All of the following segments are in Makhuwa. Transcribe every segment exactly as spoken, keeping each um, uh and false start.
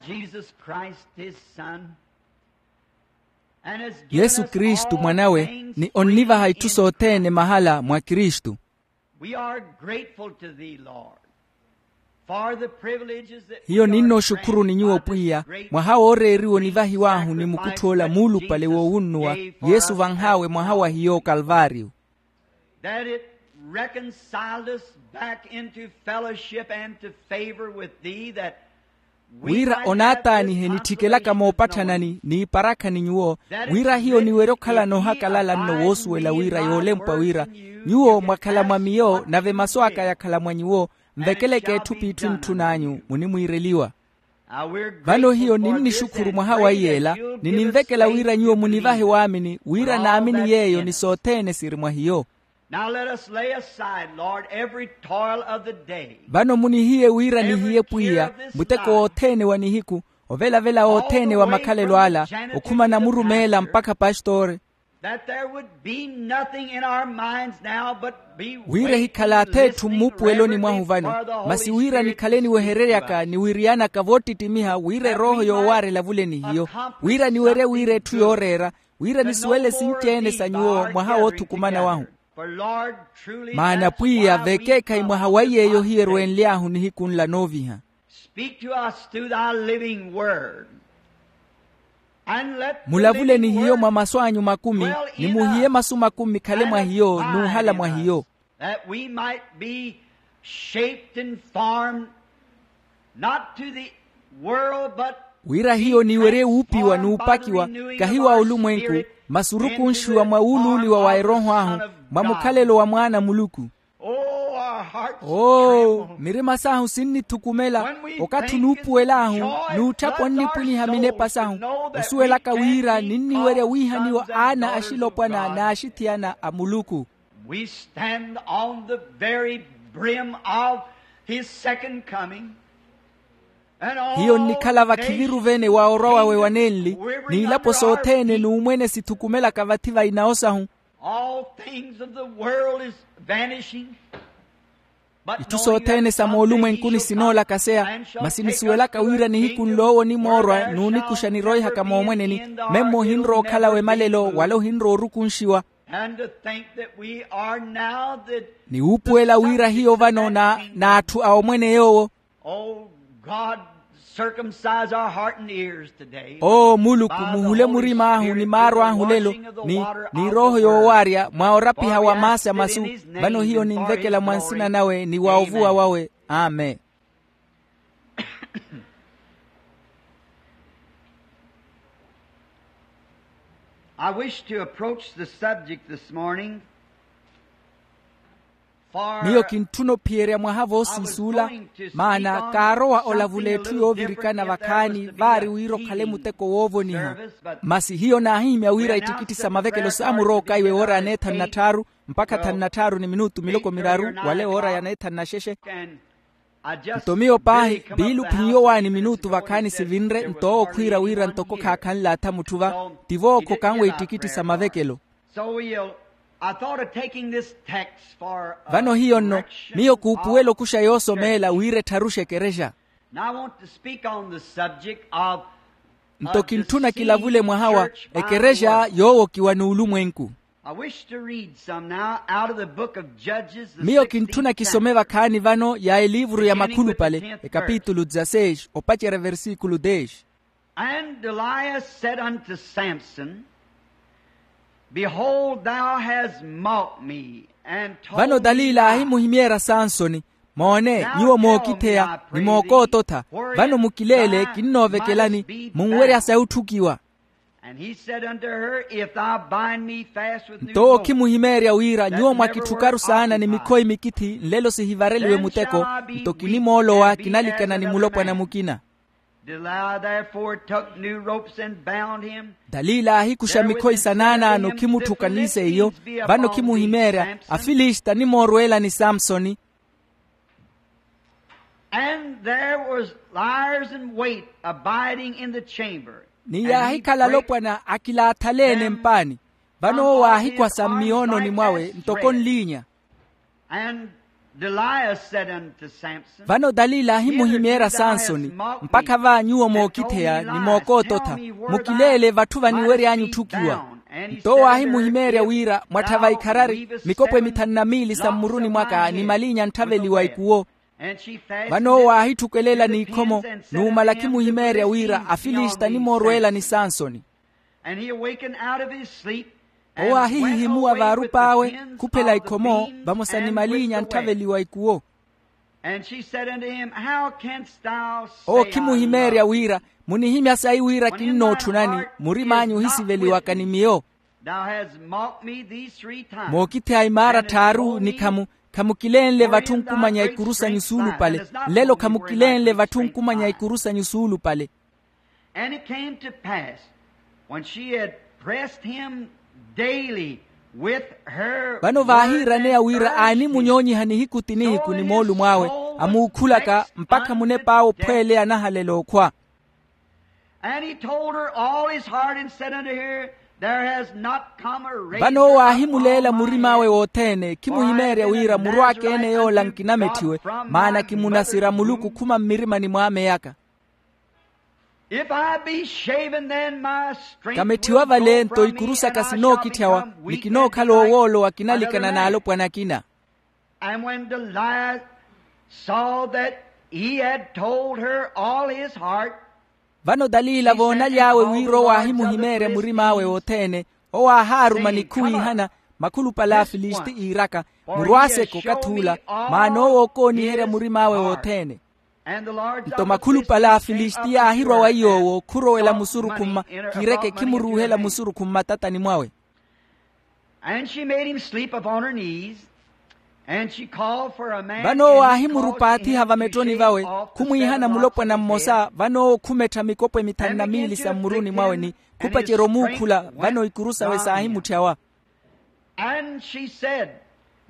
Jesus Christ, his Son, and has given yesu us kristu all mwanawe things ni onnivaha freely itthu in sothene Christ. Mahala mwa kristu. We are grateful to thee, Lord, for the privileges that hiyo we are ninno oxukhuru ni granted nyuwo by this pwiya great mwaha wooreeriwa sacrifice onivahiw'ahu ni mukutthu ola muulupale that Jesus woowunnuwa gave for yesu us vanhaawe at mwaha wa Calvary. Hiyo okalvaariyo. That it reconciled us back into fellowship and to favor with thee, that we wira might have onaataanihe this nittikelaka consolation of moopatthana knowing ni iparakha ni nyuwo that it's wira hiyo niwerye okhala noohakalala nno woosuwela wira yoolempwa wira nyuwo mwakhala mwa miyo nave masu aka yakhala mwa nyuwo. Nvekeleke etthu p'itthu ntthun'anyu munimwiireliwa. Vano hiyo ninnixukhuru mwaha wa iyeela, nininvekela wira nyuwo munivahe waamini wira naamini yeeyo ni sothene siri mwa hiyo. Now let us lay aside, Lord, every toil of the day. Vano munihiye wira nihiye pwiya muteko wothene wa nihiku, ovelavela wothene wa makhalelo ala, okhuma namurumeela mpakha pastori. That there would be nothing in our minds now but be wira ehikhala ath'etthu mmuupuweloni mwahu vano, masi wira nikhale niwehereryaka ni wiriyanaka voottittimiha wira erooho yoowaarela vule ni hiyo, wira niwerye wira etthu yooreera, wira nisuwele sinci-ene sa nyuwo mwaha woothukumana wahu. Maana pwiya vekeekhayi mwaha wa iy'eyo hiyo erwenly'ahu nihiku nla nooviha. Speak to us through thy living word. Mulavule ni hiyo mwa masu anyu makumi, ni muhiye masu makumi mikhale mwa hiyo n'uhala mwa hiyo. That we might be shaped and formed, not to the world, but wira hiyo niwerye wuupiwa n'upakiwa, kahi wa olumwenku, masi orukunshiwa mwa wuuluuliwa wa erooho ahu, mwa mukhalelo wa mwaana a muluku. Oo, mirima saahu sinnithukumela okathi onuupuwel'ahu n'utthapa onnipwiniha minepa sahu, osuwelaka wira ninniwerya wiihaniwa aana axilopwana n'axithiyana a muluku. We stand on the very brim of his second coming. Hiyo nnikhala vakhiviru vene wa orwa wawe wanenli, n'ilapo sothene n'umwene sithukumelaka vathi va inawo sahu. All things of the world is vanishing. Itthu sothene sa moolumwenkuni sinoolakaseya, masi nisuwelaka wira nihiku nloowo onimoorwa n'unikuxa niroihaka moomweneni. Memmo ohinrowa okhala wemalelo wala ohinrowa orukunshiwa. Ni wuupuwela wira hiyo vano n'atthu a omwene yoowo. Oo muluku, muhule murim'ahu ni maaru ahu lelo, ni erooho yoowaarya mwa orapiha wa maasi a masu. Vano hiyo ninvekela mwa nsina nawe ni wa ovuwa wawe. Amen. I wish to approach the subject this morning. Miyo kintthuna ophiyerya mwaha voosiis'ula, maana kaarowa olavula etthu yoovirikana vakhaani vaari wira okhale muteko woovoniha. Masi hiyo naahihimya wira ittikitti sa mavekelo saamurowa okaiwa ewoora ya neethanu na tthaaru mpakha thanu na tthaaru ni minutu miloko miraru, wala ewoora ya neethanu na xexe. Nto miyo paahi viiluphi nyowaani minutu vakhaani sivinre nto owo khwiira wira ntoko khaakhanle atha mutthu va. Tivo okhokanwe ittikitti sa mavekelo. Vano hiyo nno, miyo kuupuwela okuxa yoosomeela wira ettharuxe ekerexa. Nto kintthuna kilavule mwaha wa ekerexa yoowokiwa n'ulumwenku. Miyo kintthuna kisome vakhaani vano ya eliivuru ya makhulupale ekapitulu dezaseix opacerya versikulu dez. And Delilah said unto Samson, behold, thou hast mocked me and told me lies. Vano dalila aahimuhimyeerya sansoni, moone, nyuwo mookitheya ni mookoototha. Vano mukileele kinnoovekelani, munwerya sa otthukiwa. And he said unto her, if thou bind me fast with new ropes, nto owo okhimuhimeerya wira nyuwo mwakitthukaru saana ni mikhoyi mikithi nlelo sihivareliwe muteko, nto kinimoolowa kinalikana ni mulopwana mukina. Delilah therefore took new ropes and bound him. Dalila aahikuxa mikhoyi sa naanaano khimutthuka ni seiyo. Vano khimuhimeerya afilisti animoorweelani samsoni. And there was liers in wait abiding in the chamber. Ni yaahikhala alopwana akilaathaleene mpaani. Vano owo aahikhwasa mmiyoononi mwawe ntoko nliinya. And Delilah said unto Samson, vano dalila ahimuhimeerya sansoni, mpakha va nyuwo mookitheya ni mookoototha, mukileele vatthu vaniwery'anyu otthukiwa. Nto owo aahimuhimeerya wira, mwatthava ikharari, mikopwe mithanu na miili sa mmuruni mwaka ni malinya antthaveliwa ikuwo. Vano owo aahitthukwelela n'ikhomo, numala akhimuhimeerya wira afilisti animoorweela ni sansoni. Owo aahihihimuwa vaarup'awe, khuphela ikhomo vamosa ni malinya antthaveliwa ikuwo. Owo okhimuhimeerya wira, munihimya sayi wira kinnootthunani, murim'anyu ohisiveliwaka ni miyo? Mookitheya imaara tthaaru ni khamu, khamukilenle vatthu nkumanya ikuru sanyu suulupale. Nlelo khamukilenle vatthu nkumanya ikuru sanyu suulupale. And it came to pass, when she had pressed him daily with her words and prayers, vano vaahiiraneya wira aanimunyoonyiha nihiku ti nihiku ni moolumo awe, amuukhulaka mpakha munep'awe ophweeleya anahalela okhwa. And he told her all his heart and said unto her, There has not come a rain. Vano owo aahimuleela murim'awe wothene, khimuhimeerya wira murw'aka ene yoola nkinametthiwe, maana kimunasira muluku khuma mmirimani mw'ameyaka. If I be shaven, then my strength will go from me, and I shall become weak and be like unto the night. Kametthiwa vale nto ikuru saka sinookitthawa, ni kinookhala owoolowa kinalikana n'alopwana akina. And when Delilah saw that he had told her all his heart, vano dalila voonaly'awe wira owo aahimuhimeerya murim'awe wothene, owo aahaaruma ni khuwiihana, makhulupale a afilisti iiraka, murwaaseke okathi ula, maana owo ookooniherya murim'awe wothene. Nto makhulupale a afilisti yaahirwa wa iy'owo khurowela musurukhu mma, kiireke khimuruuhela musurukhu mmatatani mwawe. And she made him sleep upon her knees, and she called for a man. Vano owo aahimurupaathiha vamettoni vawe, khumwiihana mulopwana mmosa. Vano owo khumettha mikopwe mithanu na miili sa mmuruni mwawe ni khupacerya omuukhula, vano ikuru sawe saahimutthawa. And she said,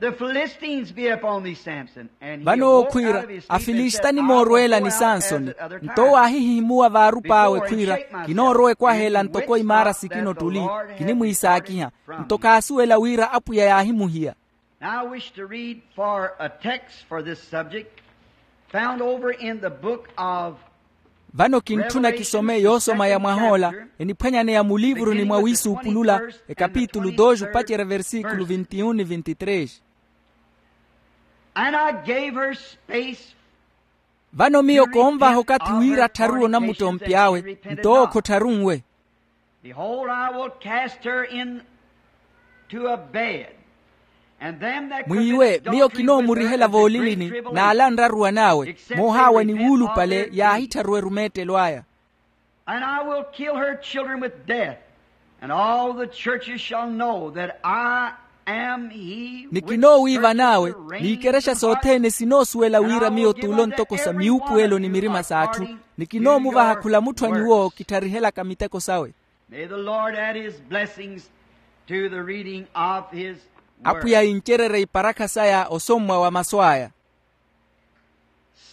The Philistines be upon thee, Samson. And he awoke out of his sleep and said, I will go out as other times. Vano owo khwiira, afilisti animoorweela ni sansoni. Nto owo aahihihimuwa vaarup'awe khwiira, kinoorowa ekwaheela ntoko imaara sikino ttuli, kinimwiisaakiha. Nto khaasuwela wira apwiya yaahimuhiya. Now I wish to read for a text for this subject, found over in the book of Vano kintthuna kisome yoosoma ya mwah'ola, eniphwanyaneya muliivuruni mwa wiisuupulula, ekapitulu dois, opacerya versikulu vinte e um ni vinte e três. And I gave her space. Vano miyo koonvaha okathi wira attharuwe onamuttompi awe, nto owo khottharunwe. Behold, I will cast her into a bed, and them that commit adultery with her in the city shall be put to death. Mwiiwe, miyo kinoomurihela voolilini, n'ala anraruwan'awe, moohaawa ni wuulupale yaahittharuwe erumeettelo aya. And I will kill her children with death, and all the churches shall know that I am he which searcheth the reins of the heart. Ni kinoowiiva n'awe, n'ikerexa sothene sinoosuwela wira miyo t'ulo ntoko sa miwuupuwelo ni mirima s'atthu, ni kinoomuvaha khula mutthu a nyuwo kittarihelaka miteko sawe. May the Lord add his blessings to the reading of his word. Apwiya incererye iparakha saya osommwa wa masu aya.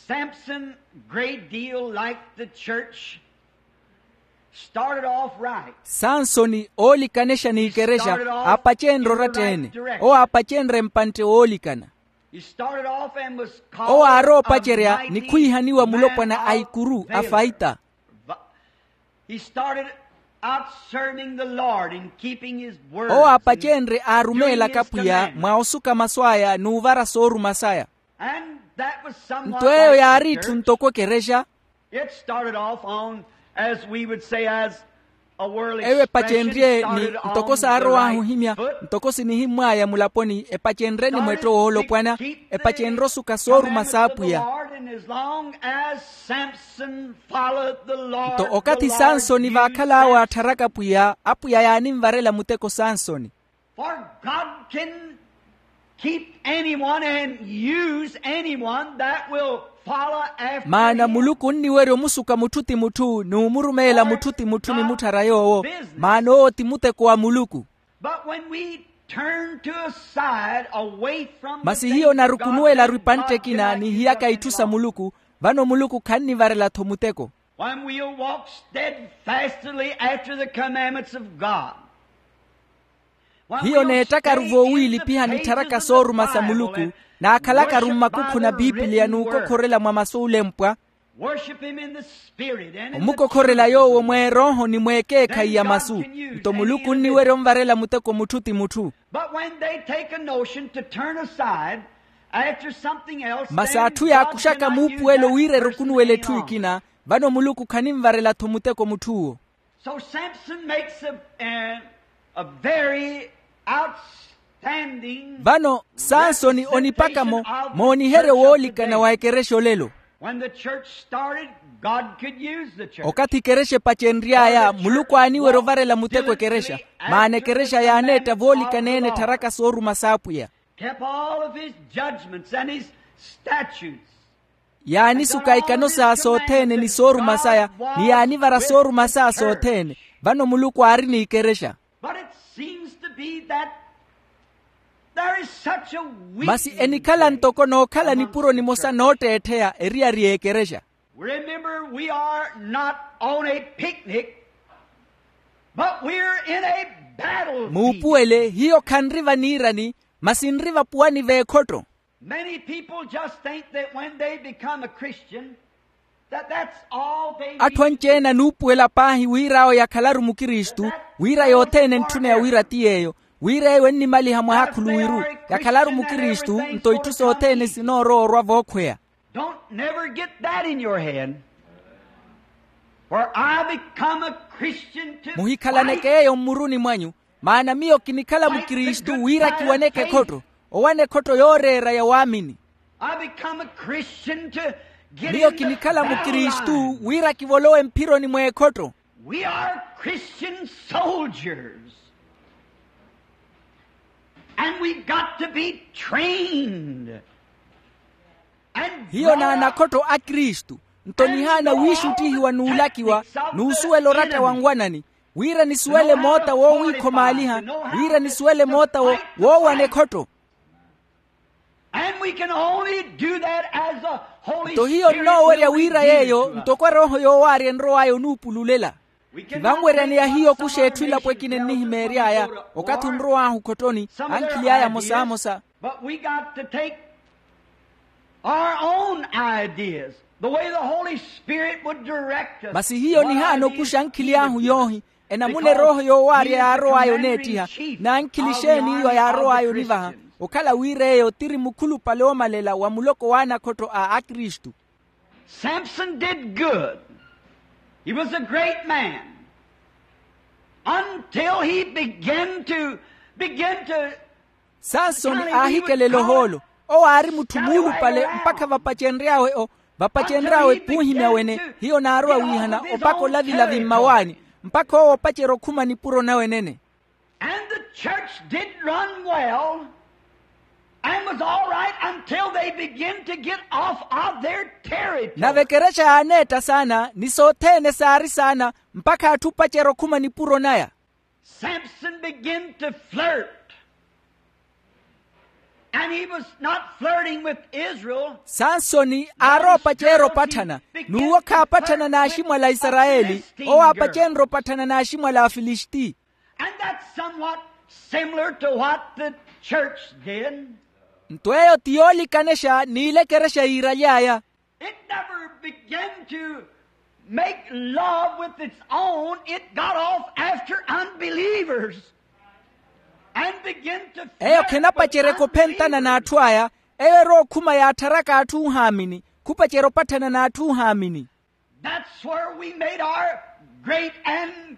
Samson, great deal like the church, started off right. Sansoni oolikanexa n'ikerexa, aapacenrye oratta-ene. Owo aapacenrye mpantte woolikana. Owo aaroopacerya ni khwiihaniwa mulopwana a ikuru afaita. Owo aapacenrye aarumeelaka pwiya mwa osuka masu aya n'uvara sooruma saya. Nto eyo yaari itthu ntoko ekerexa. Eyo epacenrye ni ntoko saarow'ahu ohimya, ntoko sinihimmw'aya mulaponi, epacenrye ni mwetto woolopwana, epacenrye osuka sooruma s'apwiya. Nto okathi sansoni vaakhal'awe aattharaka pwiya, apwiya yaaninvarela muteko sansoni. For God can keep anyone and use anyone that will follow after him. Maana muluku onniwerya omusuka mutthu ti mutthu n'umurumeela mutthu ti mutthu ni mutthara yoowo. Maana owo ti muteko wa muluku. But when we turn to a side away from the things of God, then God cannot use us any longer. Masi hiyo onarukunuwela-ru ipantte ekina n'ihiyaka itthu sa muluku, vano muluku khannivarela-tho muteko. When we'll walk steadfastly after the commandments of God. Hiyo neettaka-ru voowiilipiha nittharaka sooruma sa muluku. Naakhalakaru mmakukhuna biipiliya n'ukokhorela mwa masu olempwa. Omukokhorela yoowo mw'erooho ni mw'ekeekhayi ya masu. Nto muluku onniwerya onvarela muteko mutthu ti mutthu. Masi atthu yaakuxaka muupuwelo wira erukunuwela etthu ekina, vano muluku khaninvarela-tho muteko mutth'uwo. So Samson makes a, a, a very outstanding. Vano sansoni onipaka mo mooniheryo woolikana wa ekerexa olelo. When the church started, God could use the church. Okathi ekerexa epacenry'aya muluku aaniwerya ovarela muteko ekerexa. Maana ekerexa yaaneetta voolikana-ene ettharaka sooruma s'apwiya. Kept all of his judgments and his statutes. Yaanisuka ikano saya sothene ni sooruma saya, ni yaanivara sooruma saya sothene. Vano muluku aari n'ikerexya. But it seems to be that there is such a weakness. Masi enikhala ntoko nookhala nipuro nimosa nootteettheya eriyari y'ekerexya. Remember, we are not on a picnic, but we're in a battlefield. Muupuwele hiyo khanri vaniirani, masi nri vapuwani v'ekhotto. Many people just think that when they become a Christian, that that's all they need to do. Atthu anci-ene anuupuwela paahi wira awo yakhalaru mukristu, wira yothene entthuneya wira ti yeeyo, wira eyo ennimaliha mwaha khuluwiru, yakhalaru mukristu nto itthu sothene sinoorowa orwa vookhweya. Don't never get that in your head. For I become a Christian to fight. Muhikhalaneke yeeyo mmuruni mwanyu. Maana miyo kinikhala mukristu wira kiwaneke ekhotto, owana ekhotto yooreera ya waamini. I become a Christian to get in the battle line. Miyo kinikhala mukristu wira kivolowe mphironi mw'ekhotto. We are Christian soldiers. And we've got to be trained. Hiyo n'anakhotto a kristu, nto nihaana wiixuttihiwa n'ulakiwa n'usuwela oratta wa nwanani, wira nisuwele moota woowiikhomaaliha, wira nisuwele moota woowana ekhotto. Nto hiyo nnoowerya wira yeeyo ntoko erooho yoowaarya enrow'aya onuupululela. Khivanweryaneya hiyo okuxa etthu elapo ekina ennihimeery'aya. Okathi onrow'ahu okhottoni, ankhili aya amosamosa. But we got to take our own ideas, the way the Holy Spirit would direct us. Masi hiyo nihaana okuxa ankhili ahu yoohi, enamuna erooho yoowaarya yaarow'aya oneettiha. N'ankhili exeeni iyo yaarow'aya onivaha, okhala wira eyo tiri mukhulupale oomalela wa muloko w'anakhotto a akristu. Samson did good. He was a great man until he began to, began to. Sansoni aahikelela ohoolo. Owo aari mutthu muulupale mpakha vapacenry'awe o, vapacenry'awe khuuhimya wene. Hiyo naarowa wiihana opaka olavilavi mmawaani, mpakha owo opacerya okhuma nipuro nawe enene. And the church did run well and was all right until they began to get off of their territory. Nave ekerexa yaaneetta saana ni sothene saari saana, mpakha atthu opacerya okhuma nipuro naya. Samson began to flirt. And he was not flirting with Israel. Sansoni aarowa opacerya opatthana, n'uwo khaapatthana n'aximwala a isarayeli, owo aapacenrya opatthana n'aximwala a afilisiti. And that's somewhat similar to what the church did. Nto eyo ti yoolikanexa n'ila ekerexa yiiraly'aya. It never began to make love with its own. It got off after unbelievers and began to flirt with unbelievers. Eyo khenapaceryeke ophentana n'atthu aya. Eyo erowa okhuma yaattharaka atthu ohaamini, khupacerya opatthana n'atthu ohaamini. That's where we made our great and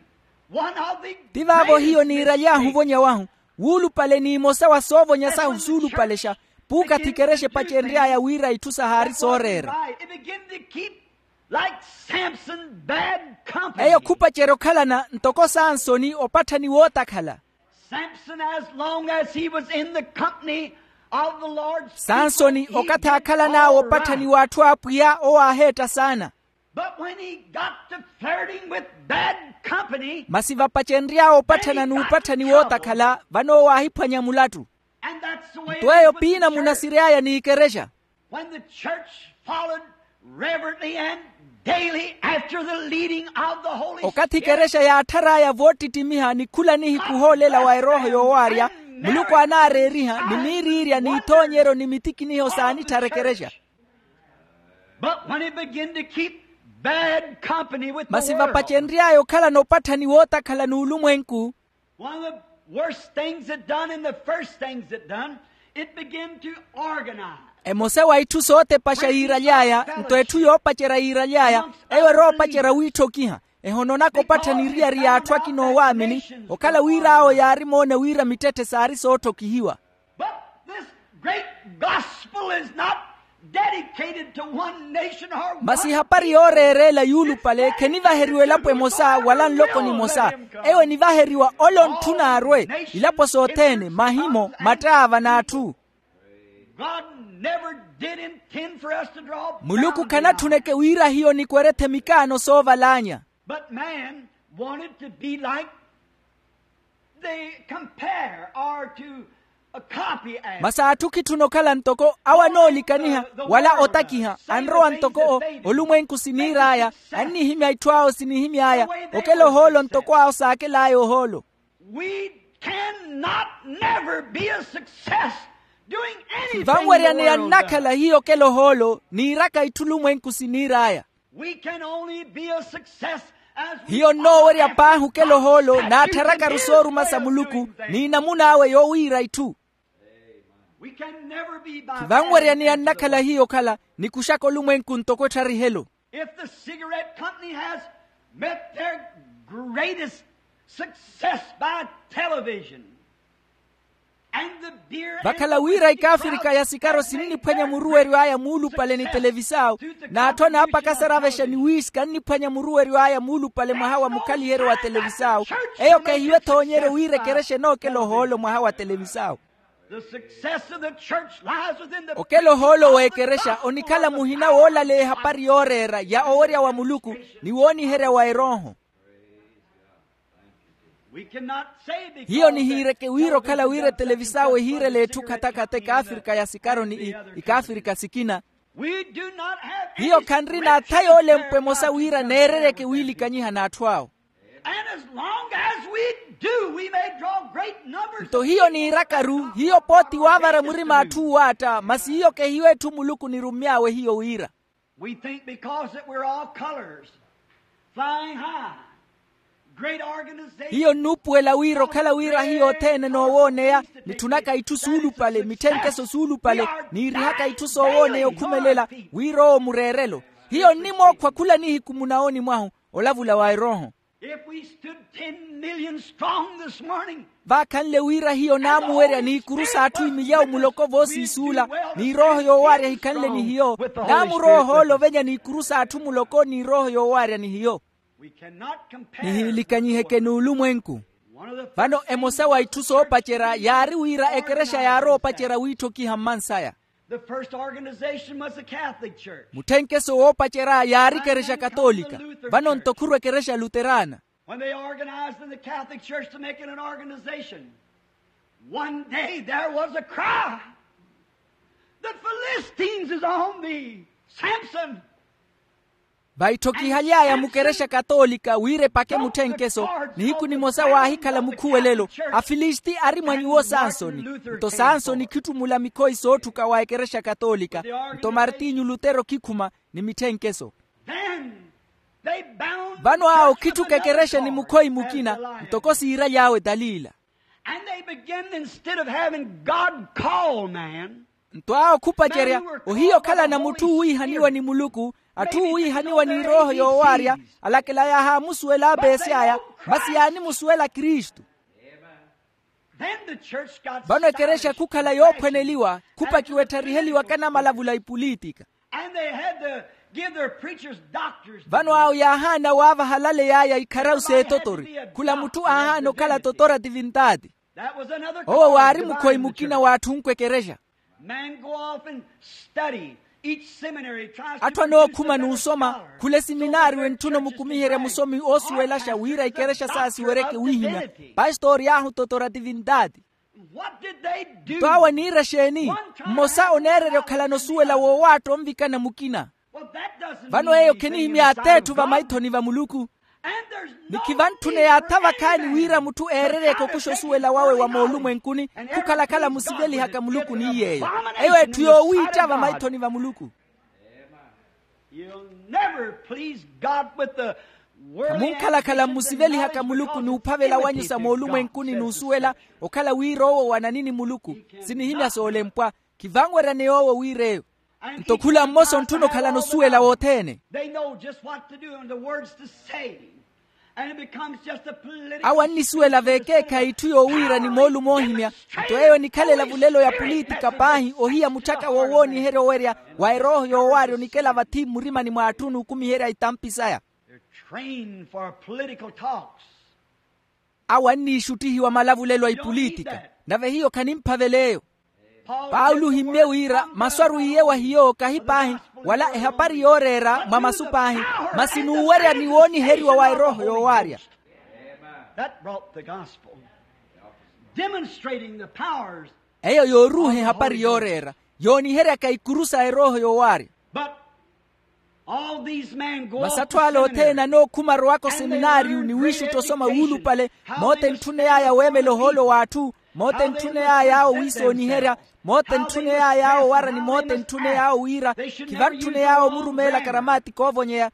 one of the greatest mistakes. Ti vaavo hiyo niiraly'ahu ovonya wahu, wuulupale n'imosa wa soovonya sahu suulupalexa, puukathi ekerexa epacenry'aya wira itthu sahaari sooreera. It began to keep like Samson, bad company. Eyo khupacerya okhalana ntoko sansoni opatthani wootakhala. Samson, as long as he was in the company of the Lord's people, sansoni he did all right. Okathi aakhalan'awe opatthani w'atthu a apwiya owo aaheetta saana. But when he got to flirting with bad company, masi vapacenry'awe opatthana n'upatthani wootakhala, vano owo aahiphwanya mulattu. And that's the way it is with the church. Nto eyo piina munasiry'aya n'ikerexa. When the church followed reverently and daily after the leading of the Holy Spirit, okathi ikerexa yaatthar'aya voottittimiha ni khula nihiku ohoolela wa erooho yoowaarya, Muluku anaareeriha ni miiriirya n'ithoonyeryo ni mitikiniho saanitthara ekerexa. But when he began to keep bad company with the world, masi vapacenry'aya okhalana opattha ni wootakhala n'ulumwenku. One of the worst things it done and the first things it done, it began to organize. Emosa wa itthu sootepaxa yiiraly'aya nto etthu yoopacerya yiiraly'aya, eyo eroopacerya wiitthokiha. Ehononaka opattha ni eriyari y'atthu akina oowaamini, okhala wira awo yaari moona wira mittetthe saari sootthokihiwa. But this great gospel is not dedicated to one nation or one people. Masi ehapari yooreera ela yuulupale khenivaheriwa elapo emosa wala nloko nimosa. Eyo enivaheriwa ole ontthuna arwe. Ilapo sothene, mahimo, mattaava n'atthu. God never did intend for us to draw boundaries. Muluku khanathuneke wira hiyo nikwerethe mikaano soovalaanya. But man wanted to be like the compare or to copy as. Masi atthu khitthuna okhala ntoko awo anoolikaniha wala otakiha anrowa ntoko o olumwenku siniir'aya. Annihimya itthu awo sinihimy'aya okela ohoolo ntoko awo saakel'aya ohoolo. We cannot never be a success doing anything the world does. Vanweryaneya nnakhala hiyo okela ohoolo niiraka itthu olumwenku siniir'aya. We can only be a success as we. Hiyo nnoowerya paahi okela ohoolo naattharakaru sooruma sa Muluku ni namun'awe yoowiira itthu. We can never be by. Khivanweryaneya nnakhala hiyo okhala nikuxaka olumwenku ntoko ettharihelyo. If the cigarette company has met their greatest success by television, vakhala wira ikaafirika ya sikaro sininniphwanya muruweryo aya muulupale ni televisao, n'atthu anaapakasaravexa ni wiiska anniphwanya muruweryo aya muulupale mwaha wa mukhaliheryo wa televisao. Eyo khehiwe ethoonyeryo wira ekerexa enookela ohoolo mwaha wa televisao. Okela ohoolo w'ekerexa onikhala muhina woolaleya ehapari yooreera ya owerya wa muluku ni wooniherya wa erooho. Hiyo nihiireke wira okhala wira etelevisao ehiirela etthu khatakhatha ikaafirika ya sikaro ni ikaafirika sikina. Hiyo khanrina atha yoolempwa emosa wira neereryeke wiilikanyiha n'atthu awo. Nto hiyo niirakaru hiyo pooti waavara murima atthu uwaatta masi hiyo kehiyo etthu muluku nirummy'awe hiyo wira. We think because that we're all colors, flying high, great organizations. Hiyo nnuupuwela wira okhala wira hiyo othene noowooneya, nitthunaka itthu suulupale mitthenkeso suulupale, niirihaka itthu soowooneya okhumelela wira owo mureerelo. Hiyo nnimookhwa khula nihiku munawooni mwahu olavula wa erooho. If we stood ten million strong this morning, vaakhanle wira hiyo naamuwerya n'ikuru s'atthu imilyawo muloko voosiisuula, n'irooho yoowaarya hikhanle ni hiyo, naamurowa ohoolo ovenya n'ikuru s'atthu muloko n'irooho yoowaarya ni hiyo. Nihiilikanyiheke n'ulumwenku. Vano emosa wa itthu soopacerya yaari wira ekerexa yaarowa opacerya wiitthokiha mmansaya. The first organization was the Catholic Church. Mutthenkeso woopacerya yaari ekerexa katoolika. Vano nto khurwa ekerexa luterana. When they organized in the Catholic Church to make it an organization, one day there was a cry, "The Philistines is on thee, Samson!" Vaitthokihaliaya mukerexa katoolika wira epake mutthenkeso. Nihiku nimosa waahikhala mukhuwelelo, afilisti ari mwa nyuwo sansoni. Nto sansoni khittumula mikhoyi sootthuka wa ekerexa katoolika. Nto martinyu lutero khikhuma ni mitthenkeso. Vano awo khitthuka ekerexa ni mukhoyi mukina ntoko siiraly'awe talila. And they begin, instead of having God call man, nto awo khupacerya ohiya okhalana mutthu uwiihaniwa ni muluku, atthu uwiihaniwa n'irooho yoowaarya, alakela yaahaamusuwela apeesi aya, masi yaanimusuwela kristu. Vano ekerexa khukhala yoophwaneliwa, khupakiwa ettariheliwaka na malavula a ipulitika. Vano awo yaahaana waavaha alale yaaya ikharawu s'etotori. Khula mutthu aahaana okhala totora tivintati. Owo waari mukhoyi mukina w'atthu onkwa ekerexa. Atthu anookhuma n'usoma khula esiminaari wentthuna omukumiherya musomi oosuwelaxa wira ikerexa saasiweryeke wiihimya. Pastori aahu totora tivintati. Nto awo aniira exeeni? Mmosa oneererya okhalana osuwela woowaatta onvikana mukina. Vano eyo khenihimya ateetthu vamaithoni va muluku. Ni khivantthune yaatha vakhaani wira mutthu eererye kokusha osuwela wawe wa moolumwenkuni, khukhalakhala musivelihaka muluku ni yeeyo. Eyo etthu yoowiitta vamaithoni va muluku. Khamunkhalakhala mmusivelihaka muluku n'uphavela wanyu sa moolumwenkuni n'usuwela okhala wira owo wanani ni muluku. Sinihimya soolempwa. Khivanweryaneya owo wira eyo. Nto khula mmosa ontthuna okhalana osuwela wothene. Awo annisuwela veekeekhayi itthu yoowiira ni moolumo oohimya. Nto eyo enikhala elavulelo ya pulitika paahi ohiya mutthaka wowooniherya owerya wa erooho yoowaarya onikela vathi mmurimani mw'atthu n'ukumiherya itampi saya. Awo anniixuttihiwa malavulelo a ipulitika. Nave hiyo khanimphavela eyo. Paulo ohimmye wira masu arwiiye wa hiyo kahi paahi, wala ehapari yooreera mwa masu paahi, masi n'uwerya ni wooniheriwa wa erooho yoowaarya. Eyo yooruuha ehapari yooreera, yooniheryaka ikuru sa erooho yoowaarya. Masi atthu ale othene anookhuma arowaka oseminaariyu ni wiixutta osoma wuulupale. Moota entthuney'aya weemela ohoolo w'atthu. Moota entthuney'aya awo wiisooniherya. Moota entthuney'aya awo owara ni moota entthuney'awo wira. Khivantthuney'awo omurumeela karamaatika oovonyeya.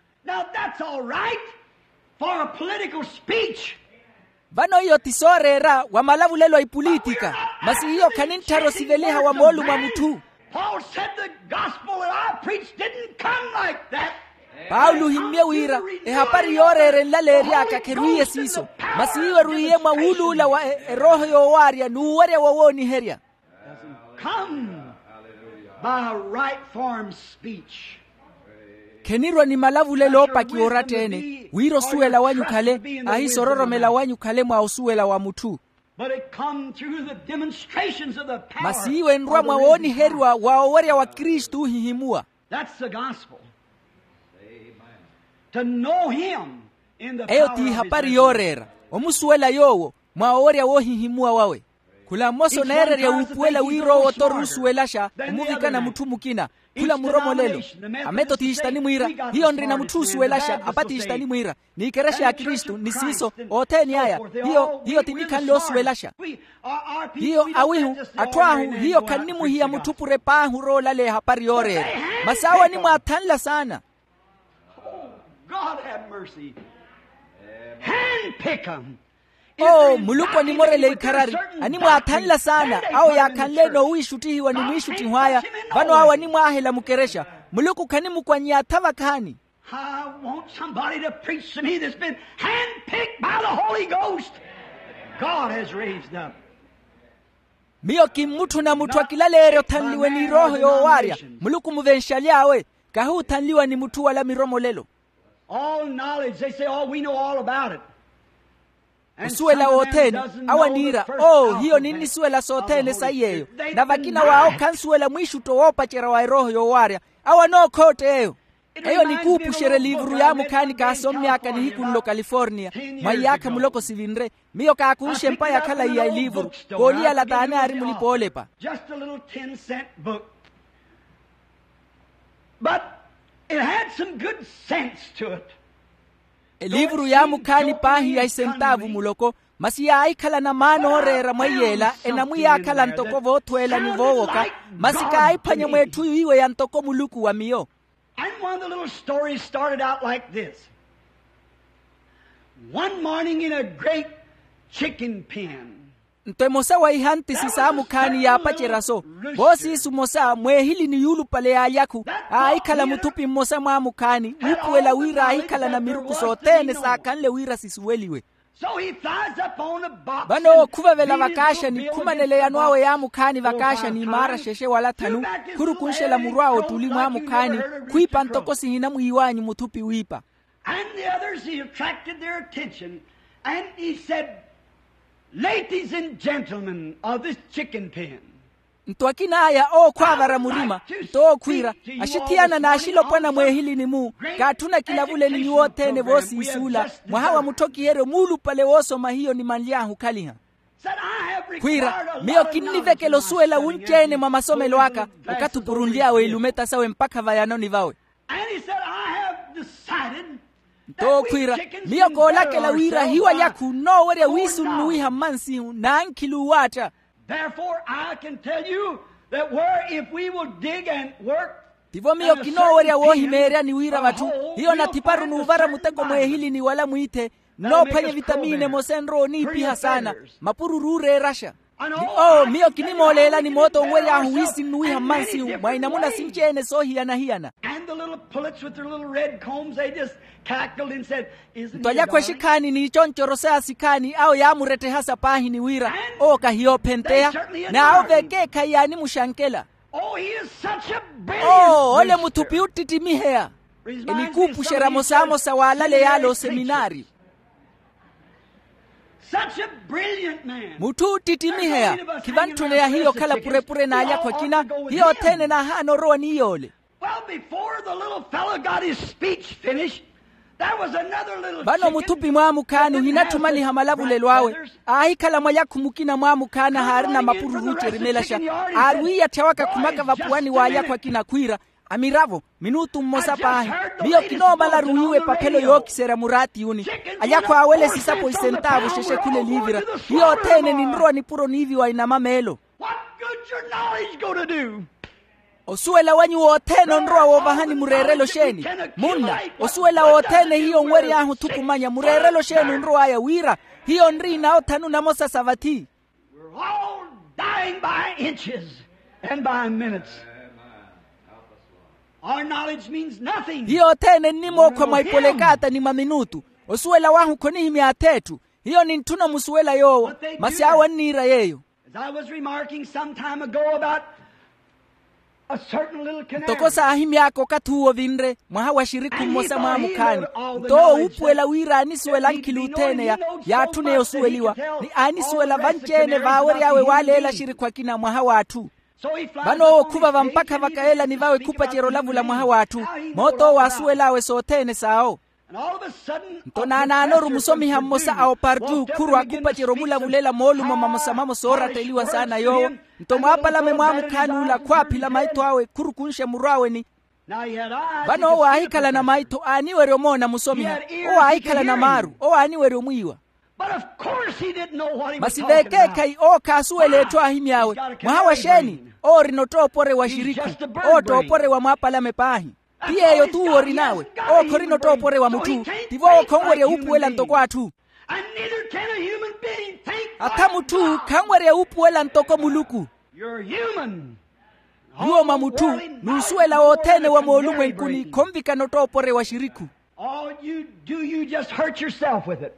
Vano iyo ti sooreera wa malavulelo a ipulitika. Masi iyo khanintthara osiveliha wa moolumo a mutthu. Paulo ohimmye wira ehapari yooreera enlaleery'aka kherwiiye siiso. Masi iyo erwiiye mwa wuuluula wa erooho yoowaarya n'uwerya wowooniherya. Khenirwa ni malavulelo oopakiwa oratta-ene wira osuwela wanyu khale, ahisororomela wanyu khale mwa osuwela wa mutthu. Masi iwe enrwa mwa wooniheriwa wa owerya wa kristu oohihimuwa. Eyo ti ihapari yooreera, omusuwela yoowo mwa owerya woohihimuwa wawe. Khula mmosa oneererya wuupuwela wira owo-tho oruusuwelaxa omuvikana mutthu mukina. Khula muromolelo. Ametotista animwiira, hiyo nrina mutthu oosuwelaxa. Apatista animwiira, n'ikerexa ya kristu ni siiso othene aya. Hiyo ti nikhanle oosuwelaxa. Hiyo awihu atthu ahu hiyo khannimuhiya mutthu pure paahi orowa olaleya ehapari yooreera. Masi awo animwaathanla saana. Oo muluku animorele ikharari. Animwaathanla saana awo yaakhanle-ene oowiixuttihiwa ni mwiixuttiho aya. Vano awo animwaahela mukerexa. Muluku khanimukwanny'attha vakhaani. I want somebody to preach to me that's been handpicked by the Holy Ghost. God has raised up. Miyo kimmutthuna mutthu akilaleerya othanliwe n'irooho yoowaarya. Muluku muvenxaly'awe. Kahuuthanliwa ni mutthu wala miromolelo. All knowledge, they say, oh, we know all about it. Osuwela wothene awo aniira, oo hiyo ninnisuwela sothene saiy'eyo. Na vakina w'awo khansuwela mwiixutto woopacerya wa erooho yoowaarya. Awo anookhotta eyo. Eyo nikuupuxerya eliivuru yaamukhaani kaasommy'aka nihiku nlo californiya. Mwa iyaakha muloko sivinre, miyo kaakunxe empa ya khalayi ya eliivuru. Kooliyala t'ani aari mulipa oolepa. But it had some good sense to it. Eliivuru yaamukhaani paahi ya isentaavu muloko. Masi yaahikhalana maana ooreera mweiy'ela enamwiyaakhala ntoko voothweela ni voowoka. Masi kaahiphwanya mw'etthu yiiwe ya ntoko muluku wa miyo. And one of the little stories started out like this. One morning in a great chicken pen. Nto emosa wa ihantisi saamukhaani yaapacerya-so. Voosiisu omosa mweehilini yuulupale y'alyakhu, aahikhala muthupi mmosa mwaamukhaani wuupuwela wira aahikhalana miruku sothene saakhanle wira sisuweliwe. Vano owo khuvevela vakaaxani khumanela eyano awe yaamukhaani vakaaxani imaara xexe wala thanu. Khurukunxela muru awe ottuli mwaamukhaani, khwiipa ntoko sihinamwiiwanyu muthupi wiipa. And the others, he attracted their attention, and he said, ladies and gentlemen of this chicken pen. Nto akina aya owo khwaavara murima, nto owo khwiira, axithiyana n'axilopwana mweehilini-mu, kaatthuna kilavuleni nyuwo othene voosiisuula. Mwaha wa mutthokiheryo muulupale woosoma hiyo nimanly'ahu okhaliha. Khwiira, miyo kinnivekela osuwela wunci-ene mwa masomelo aka. Okathi opurunly'awe ilumeta sawe mpakha vayanoni vawe. And he said, I have decided Nto okhwiira, miyo koolakela wira hiwalyakhu nnoowerya wiisu nnuwiha mmansihu n'ankhili uwaatta. Therefore I can tell you that where if we will dig and work. Tivo miyo kinoowerya woohimeeryani wira vatthu hiyo nathiparu n'uvara muteko mweehilini wala mwiithe nnoophwanya evitamiini emosa enrowa oniipiha saana mapururu ooreeraxa. Ni owo miyo kinimooleelani moota onwery'ahu wiisinnuwiha mmansihu mwa inamuna sinci-ene soohiyana-hiyana. And the little pullets with their little red combs, they just cackled and said, "Isn't he a darling?" Nto alyakhu exikhaani n'iconcorose asikhaani awo yaamurettehasa paahi ni wira owo kahiyoophenteya. N'awo vekeekhayi yaanimuxankela. Oh, he is such a brilliant preacher. Ole muthupi ottitimiheya. Reminds me of some of these old seminary preachers. Enikuupuxerya mosamosa waalaleyaale oseminaari. Such a brilliant man. Mutthu ottitimiheya. Khivantthuna ya hiyo okhala purepure n'alyakhu akina. Hiyo othene naahaana orowa ni yoole. Well, before the little fellow got his speech finished, there was another little chicken. Vano muthupi mwaamukhaani ohinatthumaliha malavulelo awe. Aahikhala mwalyakhu mukina mwaamukhaani ahaarina mapururu ocerimelaxa. Aari wiiyatthya wakakhumaka vapuwani w'alyakhu akina khwiira, amiravo, minutu mmosa paahi. Miyo kinoomalaru wiiwa epaphelo yookiserya muraatiyuni. Alyakhu aawela esisapo isentaavu xexekhule eliivira. Hiyo othene ninrowa nipuro niiviwa inama meelo. What good's your knowledge going to do? Osuwela wanyu wothene onrowa woovahani mureerelo xeeni? Munna, osuwela wothene hiyo onwery'ahu othukumanya mureerelo xeeni onrow'aya wira hiyo nri inawo thanu namosa sa vathi. We're all dying by inches and by minutes. Our knowledge means nothing. Hiyo othene nnimookhwa mwa ipolekaata ni mwa minutu. Osuwela wahu khonihimya ath'etthu. Hiyo nintthuna omusuwela yoowo. Masi awo anniira yeeyo. As I was remarking some time ago about a certain little canary. Ntoko saahimy'aka okathi uwo vinre mwaha wa xirikhu mmosa mwaamukhaani. Nto owo uupuwela wira aanisuwela ankhili othene ya yaatthuna eyo osuweliwa. Ni aanisuwela vanci-ene vaawery'awe waaleela axirikhu akina mwaha w'atthu. Vano owo okhuva vampakha vakayeelani vawe khupacerya olavula mwaha w'atthu. Moota owo aasuwel'awe sothene s'awo. Nto naanaanoru musomiha mmosa a opartu khurwa khupacerya omulavulela moolumo mamosa mamosa ooratteliwa saana yoowo. Nto mwaapalame mwaamukhaani ula khwaaphila maitho awe khurukunxe muru awe ni vano owo aahikhalana maitho aaniwerya omoona musomiha. Owo aahikhalana maaru owo aaniwerya omwiiwa. Masi veekeekhayi owo khaasuwela etthu aahimy'awe. Mwaha wa xeeni? Owo orina ottoopore wa xirikhu. Owo ottoopore wa mwaapalame paahi. Ti yeeyo t'uwo orin'awe. Owo khorina ottoopore wa mutthu. Tivo owo khonwerya wuupuwela ntoko atthu. Atha mutthu khanwerya wuupuwela ntoko muluku. Nyuwo mwa mutthu n'usuwela wothene wa moolumwenkuni khonvikana ottoopore wa xirikhu. All you do, you just hurt yourself with it.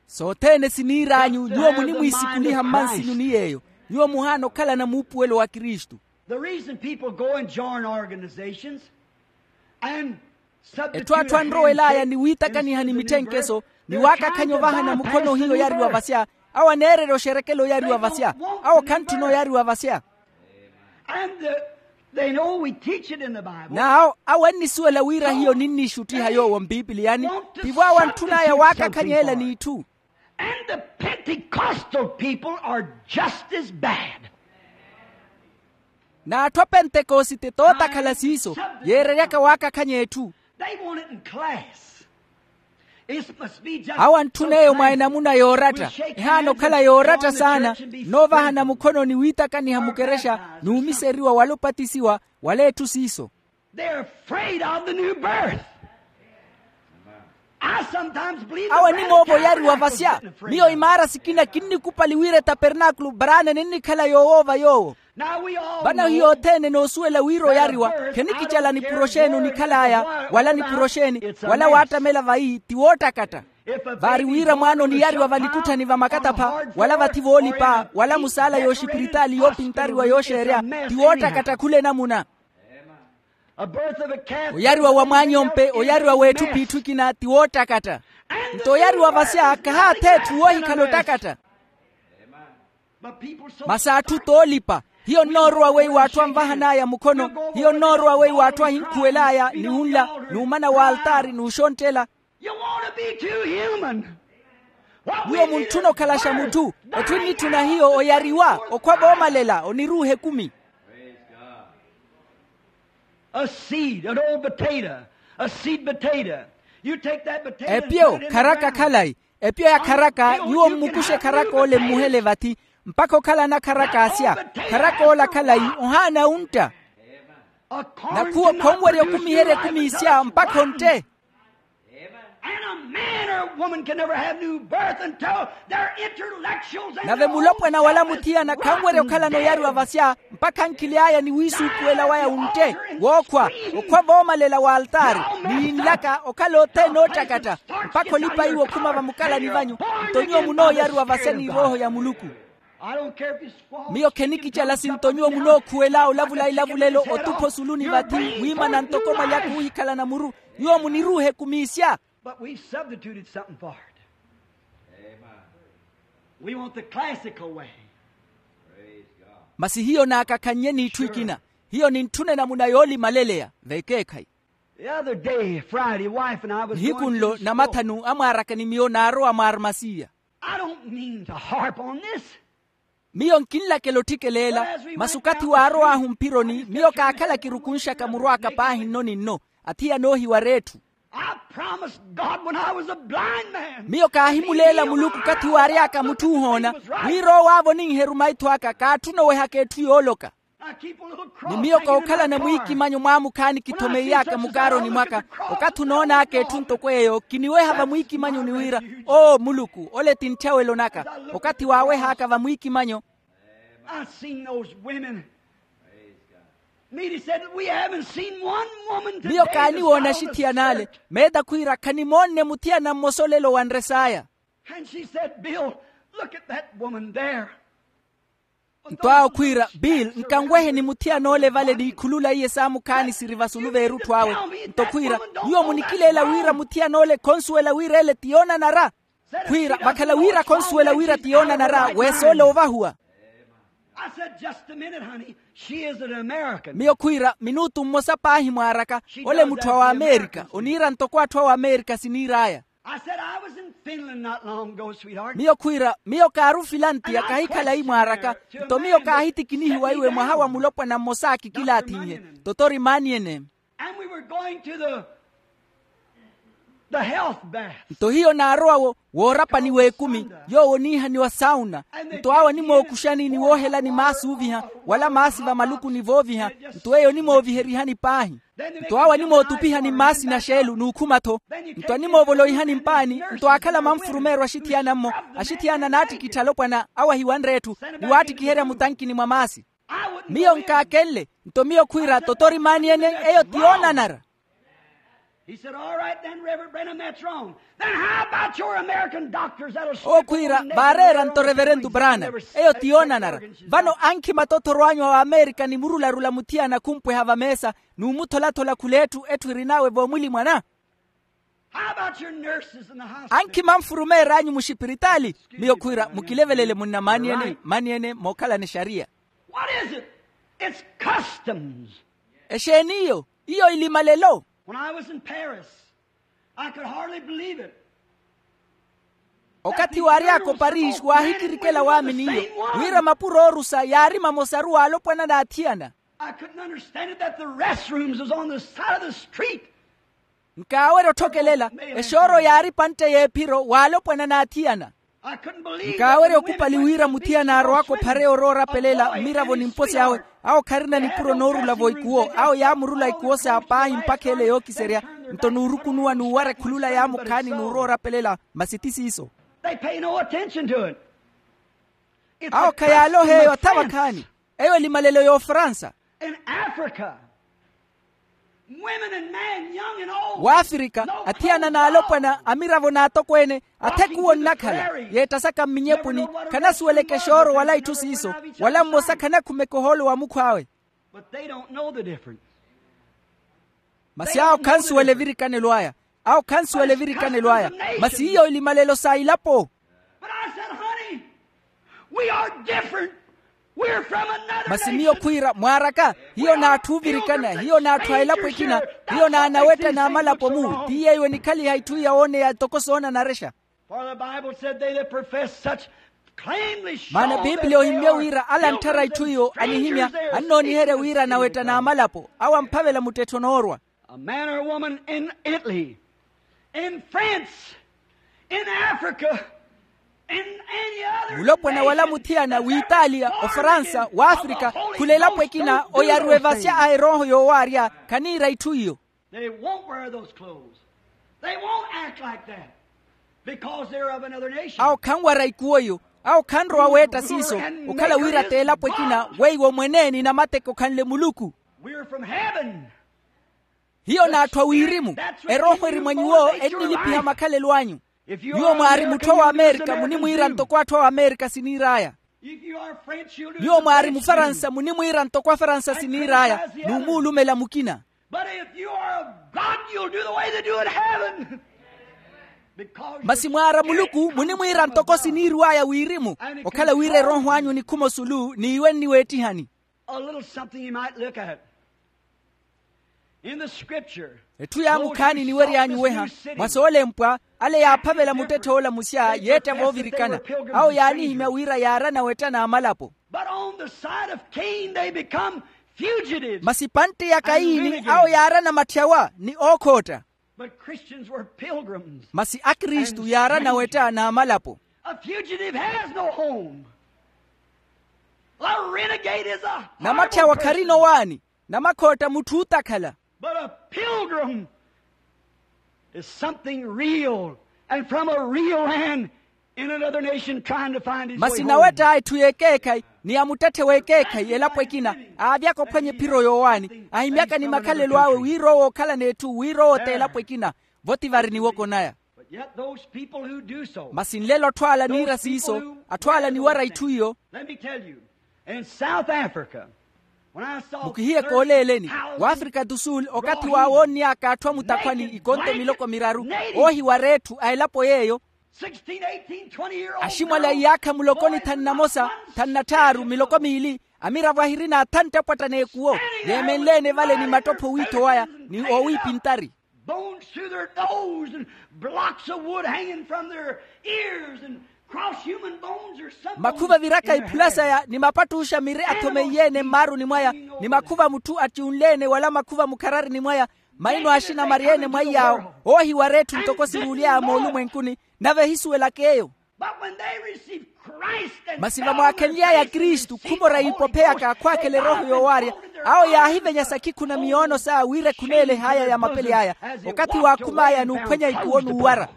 Sothene siniir'anyu nyuwo munimwiisikuliha mmansinyu ni yeeyo. Nyuwo muhaana okhalana muupuwelo wa kristu. The reason people go and join organizations and etthu atthu anrowel'aya ni wiitakaniha ni mitthenkeso ni waakakhanya ovahana mukhono ohiya oyariwa vasya. Awo aneererya oxerekela oyariwa vasya. Awo khantthuna oyariwa vasya. N'awo awo annisuwela wira hiyo ninniixuttiha yoowo mpipiliyani. Tivo awo antthun'aya waakakhanya ela n'itthu. And the pentecostal people are just as bad. N'atthu a pentekosite tootakhala siiso yeereryaka waakakhanya etthu. Awo antthun'eyo mwa enamuna yooratta ehaana okhala yooratta saana. Noovahana mukhono ni wiitakaniha mukerexa n'umiseriwa wala opatisiwa wala etthu siiso. Awo enimoova oyariwa vasya. Miyo imaara sikina kinnikupali wira etapernaakulu baraana ninnikhala yoowoova yoowo. Vano hiyo othene enoosuwela wira oyariwa. Khenikicala nipuro xeeni onikhal'aya wala nipuro xeeni wala waattamela vayi ti woottakatta. Vaari wira mwaana oniyariwa valikutthani vamakatapha wala vathi voolipa wala musaala yooxipiritaali yoopintariwa yooxeerya ti woottakatta khula enamuna. Oyariwa wa mwaanyompe oyariwa w'etthu p'itthu ekina ti woottakatta. Nto oyariwa vasya kahaatha etthu woohikhala ottakatta. Masi atthu t'olipa. Hiyo nnoorowa weiwo atthu anvahan'aya mukhono. Hiyo nnoorowa weiwo atthu ahinkhuwel'aya ni wunla n'umana w'altaari n'uxonttela. Nyuwo muntthuna okhalaxa mutthu. Etthu ennitthuna hiyo oyariwa okhwa voomalela oniruuha ekumi. A seed an old potato. A seed potato. You take that potato and put it in the ground. Epyo kharaka khalayi. Epyo ya kharaka nyuwo mmukushe kharaka ole mmuhele vathi, mpakha okhalana kharaka asya. Kharaka ole akhalayi ohaana ontta. Nakhuwo khonwerya okumiherya ekumi isya mpakha ontte. And a man or a woman can never have new birth until their intellectuals and nave mulopwana wala muthiyana khanwerya okhalana oyariwa vasya mpakha ankhili aya ni wiisuukuwela waya wuntte, wookhwa, okhwa voomalela wa altaari, ni yinlaka okhala othene oottakatta, mpakha olipa iwo okhuma vamukalani vanyu. Nto nyuwo munooyariwa vasya ni erooho ya muluku. Miyo khenikicala sinto nyuwo munookhuwela olavula ilavulelo otupha osuluni vathi, wiimana ntoko mwalyaka oohikhalana muru. Nyuwo muniruuhe kumiisya. But we've substituted something for it. We want the classical way. Masi hiyo naakakhannye n'itthu ikina. Hiyo nintthune namuna yoolimaleleya vekeekhayi. The other day, Friday, wife and I was nihiku nlo namathanu amwaaraka ni miyo naarowa mwaarmasiya. I don't mean to harp on this. Miyo nkinlakela otthikeleela. Masi okathi waarow'ahu mphironi miyo kaakhala kirukunxaka muru aka paahi nno ni nno. Athiyana oohiwara etthu. I promised God when I was a blind man. Miyo kaahimuleela muluku okathi waary'aka mutthu ohoona wira owo aavo oninheru maitho aka kaatthuna owehaka etthu yooloka. Ni miyo kookhalana mwiikimanyo mwaamukhaani kithomeiy'aka mukaaroni mwaka. Okathi onoon'aka etthu ntoko eyo kiniweha vamwiikimanyoni wira, oo muluku ole ti ntthyawelo naka. Okathi waaweh'aka vamwiikimanyo. I've seen those women. Mead said, we haven't seen one woman today. Miyo kaaniwoona axithiyana ale. Meeda khwiira khanimoonne muthiyana mmosa olelo wa nre saya. And she said, Bill, look at that woman there. Nto awo khwiira, bill, nkanweheni muthiyana ole vale n'ikhulula iye saamukhaani siri vasulu v'erutthu awe. Nto khwiira, nyuwo munikileela wira muthiyana ole khonsuwela wira ele ti yoonanara. Khwiira vakhala wira khonsuwela wira ti yoonanara weesa ole oovahuwa. I said, just a minute, honey. She is an American. Miyo khwiira minutu mmosa paahi mwaaraka. Ole mutthu a waamerika oniira ntoko atthu a waamerika siniir'aya. I said, I was in Finland not long ago, sweetheart. Miyo khwiira miyo kaari ofilantiya kahikhala imwaaraka. Nto miyo kaahitikinihiwa iwe mwaha wa mulopwana mmosa akikilaath'inhe. Totori maaniyene. And we were going to the the health bath. Nto hiyo naarowa wo woorapani w'ekumi yoowo oniihaniwa sauna. Nto awo animookuxani ni woohelani maasi ooviha wala maasi vamalukuni vooviha. Nto eyo onimooviherihani paahi. Nto awo animootupihani mmaasi na xeelu n'ukhuma-tho. Nto animoovoloihani mpaani. Nto aakhala manfurumeeryo axithiyana-mmo. Axithiyana anaattikittha alopwana awo ahiwanre etthu ni waattikiherya mutankini mwa maasi. Miyo nkaakenle. Nto miyo khwiira totori maaniyene eyo ti yoonanara. He said, all right then, Reverend Branham, that's wrong. Then how about your American doctors that'll owo khwiira vaareera nto reverentu brana. Eyo ti yoonanara. Vano ankhima tothorw'anyu a waamerika ni murularula muthiyana khumpweha vameesa n'umutholathola khula etthu etthu erin'awe voomwilimwana. How about your nurses in the hospital? Ankhima nfurumeer'anyu muxipiritaali. Miyo khwiira mukilevelele munna maaniyene maaniyene mookhalana exariya. What is it? It's customs. Exeeni iyo? Iyo ilimalelo. When I was in Paris, I could hardly believe it. Okathi waary'aka oparis waahikirikwela waamini iyo wira mapuro oorusa yaari mamosaru w'alopwana n'athiyana. I couldn't understand it that the restrooms was on the side of the street. Nkaawerya otthokelela. Exooro yaari pantte y'ephiro w'alopwana n'athiyana. Nkaawerya okupali wira muthiyana aarowaka ophare oroora apelela mmiravo ni mposi awe. Awo kharina nipuro noorula-vo ikuwo awo yaamurula ikuwo sa paahi mpakha ele yookiserya. Nto n'urukunuwa n'uwara ekhulula yaamukhaani n'uroora apelela. Masi ti siiso. Awo khayaalooha eyo atha vakhaani. Eyo elimalelo y'ofransa. W'afrika athiyana n'alopwana amiravo n'atokweene athekuwo nnakhala. Yeettasaka mminyepuni khanasuweleke exooro wala itthu siiso wala mmosa khanakhumeke ohoolo wa mukhw'awe. Masi awo khansuwela evirikanelo aya. Awo khansuwela evirikanelo aya. Masi hiyo ilimalelo sa ilapo. Masi miyo khwiira mwaaraka hiyo n'atthu oovirikana hiyo n'atthu a elapo ekina. Hiyo n'anawetta n'amalapo-mu ti yeeyo enikhaliha itthu iya wooneya ntoko soonanarexa. Maana biipiliya ohimmye wira ala antthara itthu iyo anihimya annooniherya wira anawetta n'amalapo awo amphavela muttettho noorwa. A man or a woman in Italy, in France, in Africa, in any other mulopwana wala muthiyana w'italia, ofaransa, w'afrika, khula elapo ekina oyariwa evasya a erooho yoowaarya, khaniira itthu iyo. They won't wear those clothes. They won't act like that. Because they're of another nation. Awo khanwara ikuwo eyo. Awo khanrowa weetta siiso. Okhala wira t'elapo ekina weiwo mweneeni namateko khanle muluku. We're from heaven. Hiyo n'atthu a wirimu. Erooho eri mwa nyuwo ennilipiha makhalelo anyu. Nyuwo mwaari mutthu a w'amerika munimwiira ntoko atthu a w'amerika siniir'aya. Nyuwo mwaari mufaransa munimwiira ntoko afaransa siniir'aya. N'umuulumela mukina. But if you are of God, you'll do the way they do in heaven. Masi mwaara muluku munimwiira ntoko siniiriw'aya wirimu. Okhala wira erooho anyu nikhume osulu n'iwe nniweettihani. A little something you might look at in the scripture. Etthu yaamukhaani niweryanyu weha. Mwa soolempwa, ale yaaphavela muttetthe ola musya yeetta voovirikana. Awo yaanihimya wira yaarana wetta n'amalapo. But on the side of Cain they become fugitives. Masi pantte ya kayini awo yaarana matthyawa ni ookhootta. But Christians were pilgrims. Masi akristu yaarana wetta n'amalapo. A fugitive has no home. A renegade is a namattyawa kharina owaani. Namakhootta mutthu ootakhala. But a pilgrim is something real and from a real land in another nation trying to find his way home. Masi nawetta etthu y'ekeekhayi ni ya muttetthe w'ekeekhayi elapo ekina, aavyaka ophwanya ephiro yoowaani ahimyaka ni makhalelo awe wira owo okhala n'etthu wira owo t'elapo ekina. Vo ti vari niwoko naya. But yet those people who do so, masi nlelo atthu ala niira siiso, atthu ala niwara itthu iyo. Let me tell you, in South Africa, when I saw mukihiye kooleeleni, w'afrika du sul okathi wa woonniyaka atthu a mutakhwani ikonto miloko miraru, oohiwara etthu a elapo yeeyo. Aximwala iyaakha muloko ni thanu na mosa, thanu na tthaaru, miloko miili, amiravo ahirina athantte apwatta n'ekuwo, yeemenle-ene vale ni mattoppho wiitho waya ni oowiipintari. Bones through their nose and blocks of wood hanging from their ears and cross human bones or something. Makhuva viraka iphula saya ni mapattuxa miri athomeiye-ene mmaaruni mwaya, ni makhuva mutthu attiunle-ene wala makhuva mukhararini mwaya. Maino axina maryeene mwaiy'awo oohiwara etthu ntoko siruuly'aya moolumwenkuni, nave ehisuwelaka eyo. Masi vamwaakhenly'aya kristu khumora yiipopheyaka khwaakhela erooho yoowaarya, awo yaahivenya sakhikhuna miyoono saya wira ekhuneele haya ya mapeli aya, okathi waakhum'aya n'uphwenya ikuwo n'uwara.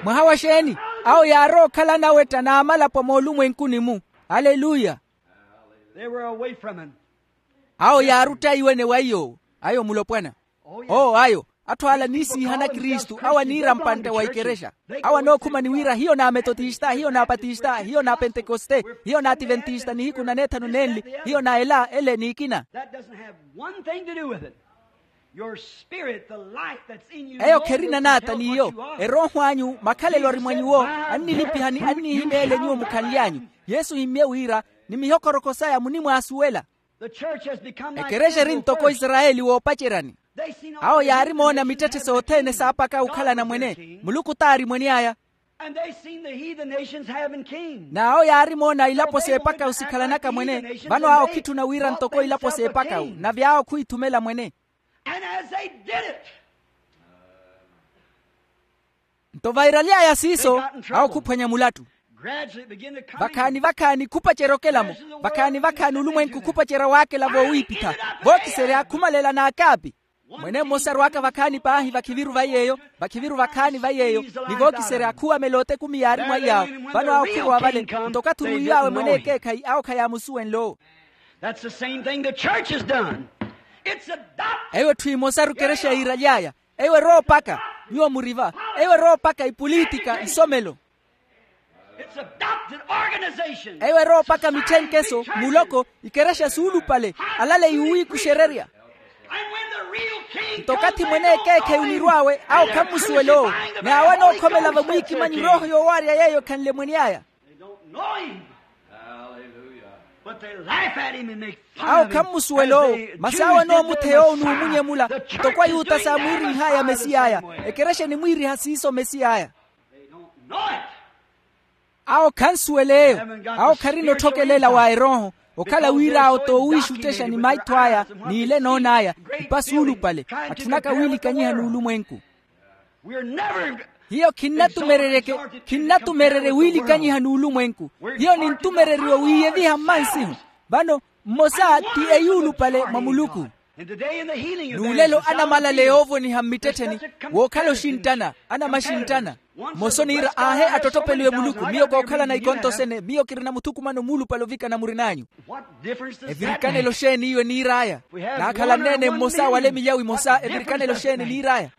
Mwaha wa xeeni? Awo yaarowa okhala anawetta n'amalapo moolumwenkuni-mu. Aleluya. Awo yaaruttaiwene wa iy'owo. Ayo mulopwana. Oo ayo, atthu ala aniisiihana kristu awo aniira mpantte wa ikerexa. Awo anookhumani wira hiyo n'ametotista hiyo n'apatista hiyo n'apentekoste, hiyo n'ativentista nihiku na neethanu nenli, hiyo na ela ele n'ikina. That doesn't have one thing to do with it. Your spirit, the life that's in you, eyo kherina naata n'iyo. Erooho anyu makhalelo ari mwa nyuwo, annilipihani annihimeele nyuwo mukhanly'anyu. Yesu ohimmye wira ni mihokoroko saya munimwaasuwela. Ekerexa eri ntoko isarayeli woopaceryani. Awo yaarimoona mittetthe sothene saapaka okhala anamwene. Muluku t'ari mwene aya. N'awo yaarimoona ilapo s'epakawu sikhalanaka mwene. Vano awo khitthuna wira ntoko ilapo s'epakawu nave awo khuhithumela mwene. Nto vairaly'aya siiso, awo khuphwanya mulattu. Vakhaani vakhaani khupacerya okela-mo. Vakhaani vakhaani olumwenku khupacerya waakela voowiipitha. Vookiserya khumalela n'akaapi. Mwene mmosa arwaka vakhaani paahi vakhiviru va yeeyo, vakhiviru vakhaani va yeeyo, ni vookiserya khuwamela otekumi yaari mwaiy'awo. Vano awo khurowa vale. Nto okathi oruwiw'awe mwene ekeekhayi awo khayaamusuwenle owo. That's the same thing the church has done. It's adopted. Eyo etthu emosaru ekerexa yiiraly'aya. Eyo eroopaka. Nyuwo muriva. Eyo eroopaka ipulitika isomelo. It's adopted organization. Eyo eroopaka mitthenkeso muloko ikerexa suulupale. Alale yuwiikuxererya. Nto okathi mwene ekeekhayi onirw'awe awo khammusuwela owo. Ni awo anookhomela vamwiikimanyi erooho yoowaarya yeeyo ekhanle mwene aya. Awo khammusuwela owo. Masi awo anoomutheya owo n'umunyemula ntoko ayuta saamwiirinh'aya mesiy'aya. Ekerexa enimwiiriha siiso mesiy'aya. Awo khansuwela eyo. Awo kharina otthokelela wa erooho. Okhala wir'awo t'owiixuttexa ni maitho aya, n'ile noon'aya, ipa suulupale, atthunaka wiilikanyiha n'ulumwenku. Hiyo khinnatumerereke, khinnatumererye wiilikanyiha n'ulumwenku. Hiyo nintumereriwa wiiyeviha mmansihu. Vano mmosa ti eyuulupale mwa muluku. N'ulelo anamalale yoovoniha mmittettheni, wookhala oxinttana, anamaxinttana. Mmosa oniira aahe, attottopeliwe muluku, miyo kookhalana ikonto sene, miyo kirina muthukumano muulupale ovikana murin'anyu. Evirikanelo xeeni iyo eniir'aya? Naakhala nneene mmosa wala emiyawu emosa, evirikanelo xeeni eniir'aya?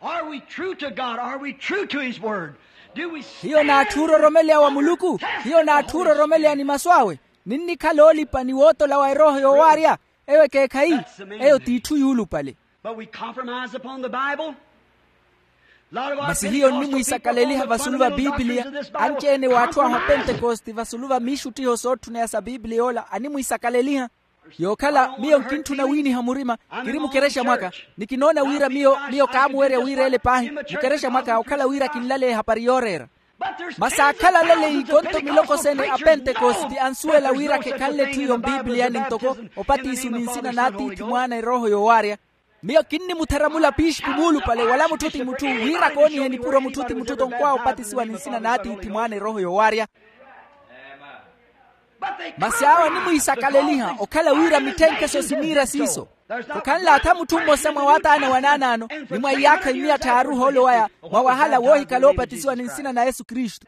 Hiyo n'atthu ororomeleya wa muluku? Hiyo n'atthu ororomeleya ni masu awe? Ninnikhala oolipa ni wootola wa erooho yoowaarya? Eyo ekeekhayi. Eyo t'itthu yuulupale. Masi hiyo nnimwiisakaleliha vasulu va pipiliya. Anci-ene w'atthu ahu a pentekoste vasulu va miixuttiho sootthuneya sa pipiliya ola animwiisakaleliha. Yookhala miyo nkintthuna wiiniha murima, kiri mukerexa mwaka, ni kinoona wira miyo miyo kaamuwerya wira ele paahi. Mukerexa mwaka okhala wira kinlale ehapari yooreera. Masi aakhala alaleyi ikonto miloko sene a pentekoste ansuwela wira khekhanle etthu iyo mpipiliyani ntoko opatiso ni nsina n'atiithi mwaana erooho yoowaarya. Miyo kinnimuthara mulapixipi muulupale wala mutthu ti mutthu wira koonihe nipuro mutthu ti mutthu tonkwa opatisiwa ni nsina n'atiithi mwaana erooho yoowaarya. Masi awo animwiisakaleliha okhala wira mitthenkheso siniira siiso. Khukhanle atha mutthu mmosa mwa wataana wa naanaano ni mwa iyaakha immiya tthaaru ohoolo waya mwa wahala woohikhala oopatisiwa ni nsina na yesu kristu.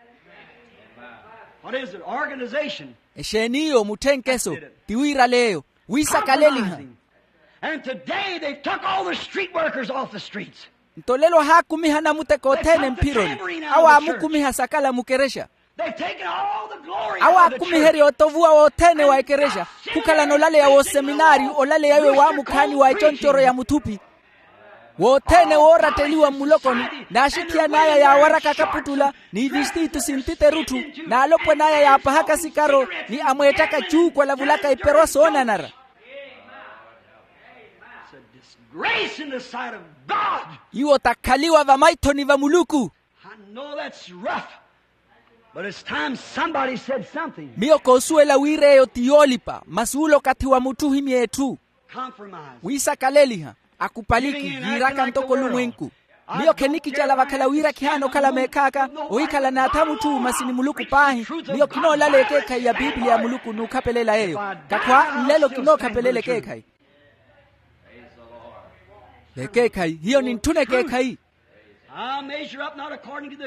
Exeen'iyo mutthenkeso? Ti wiiraleeyo wiisakaleliha. And today they've took all the street workers off the streets. Nto lelo ahaakumiha anamuteka othene mphironi. Awo aamukumiha sakala mukerexa. Awo aakumiherya otovuwa wothene wa ekerexa khukhalana olaleya w'oseminaariyo olaleya iwe waamukhaani wa econcooro ya muthuphi. Wothene wooratteliwa mmulokoni n'axithiyan'aya yaawaraka akaputtula ni vistiitu sintiterutthu n'alopwan'aya yaapahaka sikaro ni amweettaka cuuku alavulaka iperwa soonanara. Iwo takhaliwa vamaithoni va muluku. Miyo koosuwela wira eyo ti yoolipa masi ula okathi wa mutthu ohimya etthu. Wiisakaleliha akupaliki yiiraka ntoko olumwenku. Miyo khenikicala vakhala wira khihaana okhala meekhaaka ohikhala n'atha mutthu masi ni muluku paahi. Miyo khinoolala ekeekhayi ya pipiliya ya muluku n'ukhapelela yeeyo. Kakhwa nlelo kinookhapelela ekeekhayi. Ekeekhayi hiyo nintthuna ekeekhayi.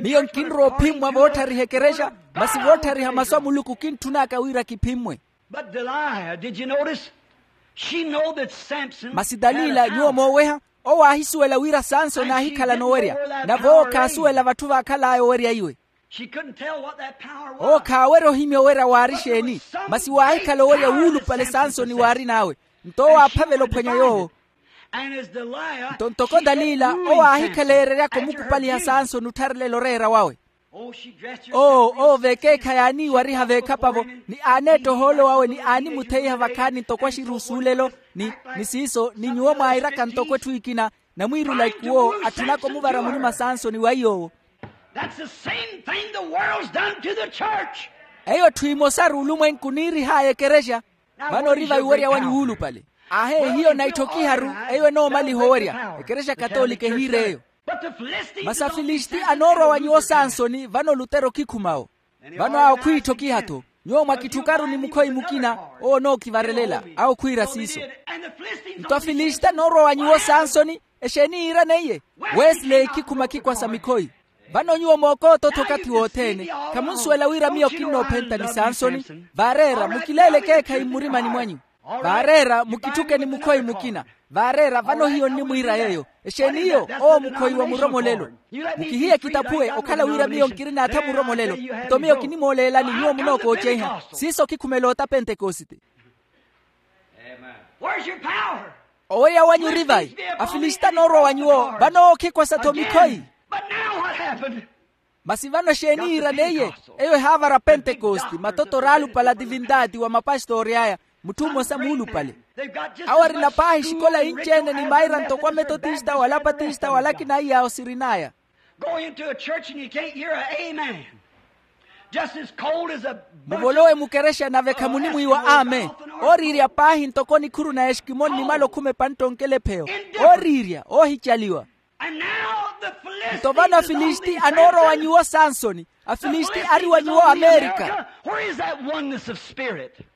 Miyo nkinrowa ophimmwa vootthariheke erexa masi voottharihaka masu a muluku kintthunaka wira kiphimmwe. But delilah did you notice? She know that samson masi dalila nyuwo mooweha owo aahisuwela wira sansoni aahikhala noowerya. Nave owo khaasuwela vatthu vaakhal'aya owerya iwe. She couldn't tell what that power was. Owo khaawerya ohimya owerya waari exeeni. Masi waahikhala owerya wuulupale sansoni waarin'awe. Nto owo aaphavela ophwanya yoowo. Nto ntoko dalila owo aahikhala eereryaka omukupaliha sansoni ottharelela oreera wawe. Oo oo veekeekhayi aaniiwariha veekhapa-vo ni aaneetta ohoolo wawe ni aanimutheiha vakhaani ntoko axiruusu olelo. Ni siiso ni nyuwo mwairaka ntoko etthu ekina. Namwiirula ikuwo atthunaka omuvara munima sansoni wa iy'owo. Eyo etthu emosaru olumwenku niirih'aya ekerexa. Vano ori vaiwerya wanyu wuulupale. Aahe hiyo naithokiharu. Eyo enoomaliha owerya ekerexa katolika ehiir'eyo. Masi afilisti anoorwa wa nyuwo sansoni vano lutero khikhuma-wo. Vano awo khwiithokiha-tho. Nyuwo mwakitthukaru ni mukhoyi mukina owo onookhivarelela. Awo khwiira siiso. Nto afilisti anoorwa wa nyuwo sansoni exeeni yiirana iye? Wesley khikhuma khikwasa mikhoyi. Vano nyuwo mookoota-tho okathi wothene. Khamunsuwela wira miyo kinnoophenta ni sansoni. Vaareera mukileele ekeekhayi mmurimani mwanyu. Vaareera mukitthuke ni mukhoyi mukina. Vaareera vano hiyo nnimwiira yeeyo. Exeeni iyo? Owo mukhoyi wa muromolelo. Mukihiye kitaphuwe okhala wira miyo nkirina atha muromolelo. Nto miyo kinimooleelani nyuwo munookoocehiha siiso khikhumela ota pentekosite. Owerya wanyu ori vayi? Afilisti anoorwa wa nyuwo vano owo khikwasa-tho mikhoyi. Masi vano exeeni yiiraneiye? Eyo ehaavara pentekoste matoto oraalupale a divindati wa mapastoori aya. Mutthu mmosa muulupale. Awo arina paahi exikola inci-ene ni maira ntoko ametotista wala apatista wala akina aiy'awo sirin'aya. Go into a church and you can't hear a amen. Muvolowe mukerexa nave khamunimwiiwa ame. Ooriirya paahi ntoko nikhuru na eskimoni nimala okhuma epantta onkelepheyo. Ooriirya oohicaliwa. Nto vano afilisiti anoorowa nyuwo sansoni. Afilisiti ari wa nyuwo amerika.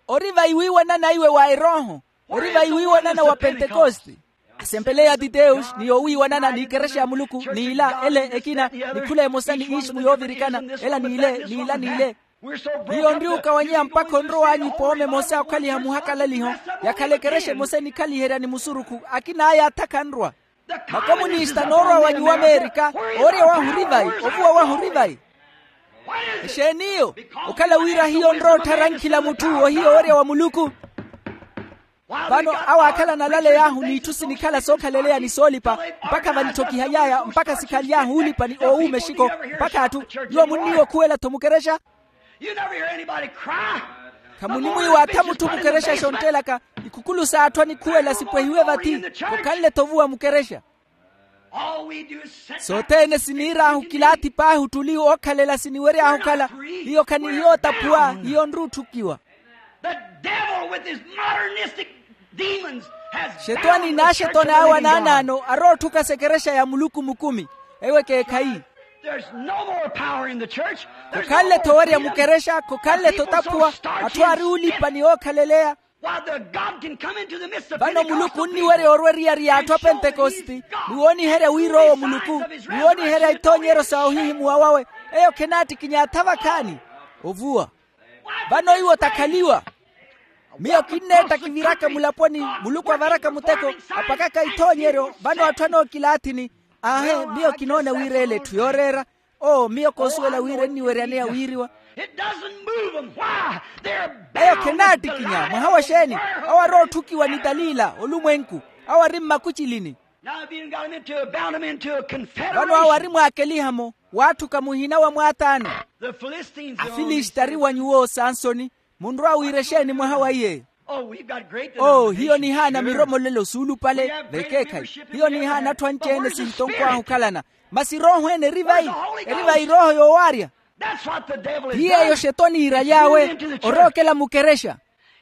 Ori vayi wiiwanana iwe wa erooho. Ori vayi wiiwanana wa pentekoste. Asempeleya titeus ni yoowiiwanana n'ikerexa ya muluku n'ila ele ekina, ni khula emosa ni ismu yoovirikana ela n'ile n'ila n'ile. Hiyo onri okawanyeya mpakha onrow'anyu ipooma emosa okhaliha muhakalaliho. Yakhala ekerexa emosa enikhaliherya ni musurukhu. Akin'aya atha khanrwa. Makomunista noorwa wa nyuwo amerika. Oorya wahu ori vayi? Ovuwa wahu ori vayi? Exeen'iyo? Okhala wira hiyo onrowa otthara nkhila mutthu ohiya oorya wa muluku. Vano awo aakhalana alaley'ahu n'itthu sinikhala sookhaleleyani soolipa, mpakha vanitthokihay'aya mpakha sikhaly'ahu oolipa ni oowuuma exiko. Mpakha atthu, nyuwo munniiwa okhuwela-tho mukerexa. Khamunimwiiwa atha mutthu mukerexa xontt'elaka. Ikhukulu s'atthu anikhuwela sipwehiwe vathi. Khokhanle-tho ovuwa mukerexa. Sothene siniir'ahu kilaathi paahi ottuli ookhalela siniwery'ahu okhala. Hiyo khanihiya otaphuwa. Hiyo onri otthukiwa. Xetwani n'axetwani awe anaanaano arootthuka s'ekerexa ya muluku mukumi. Ewo ekeekhayi. Khokhanle-tho owerya mukerexa khokhanle-tho otaphuwa. Atthu aari oolipa ni ookhaleleya. Vano muluku onniwerya orwa eriyari y'atthu a pentekositi ni wooniherya wira owo muluku, ni wooniherya ithoonyeryo sa ohihimuwa wawe. Eyo khenaattikinya atha vakhaani. Ovuwa. Vano iwo takhaliwa. Miyo kinneettakiviraka mulaponi. Muluku avaraka muteko, apakaka ithoonyeryo vano atthu anookilaathini. Aahe, miyo kinoona wira ele etthu yooreera. Oo miyo koosuwela wira enniweryaneya wiiriwa. Eyo khenaattikinya mwaha wa xeeni? Awo arootthukiwa ni talila olumwenku. Awo ari mmakucilini. Vano awo ari mwaakeliha-mo. Waatthuka muhina wa mwaataani. Afilisiti ari wa nyuwo sansoni. Munrowa wira exeeni mwaha wa iye? Oo hiyo nihaana miromolelo suulupale. Vekeekhayi hiyo nihaana atthu anci-ene sihitonkwahu okhalana. Masi erooho ene eri vayi? Eri vayi erooho yoowaarya. Hiyo eyo xetwani iiraly'awe. Orookela mukerexa.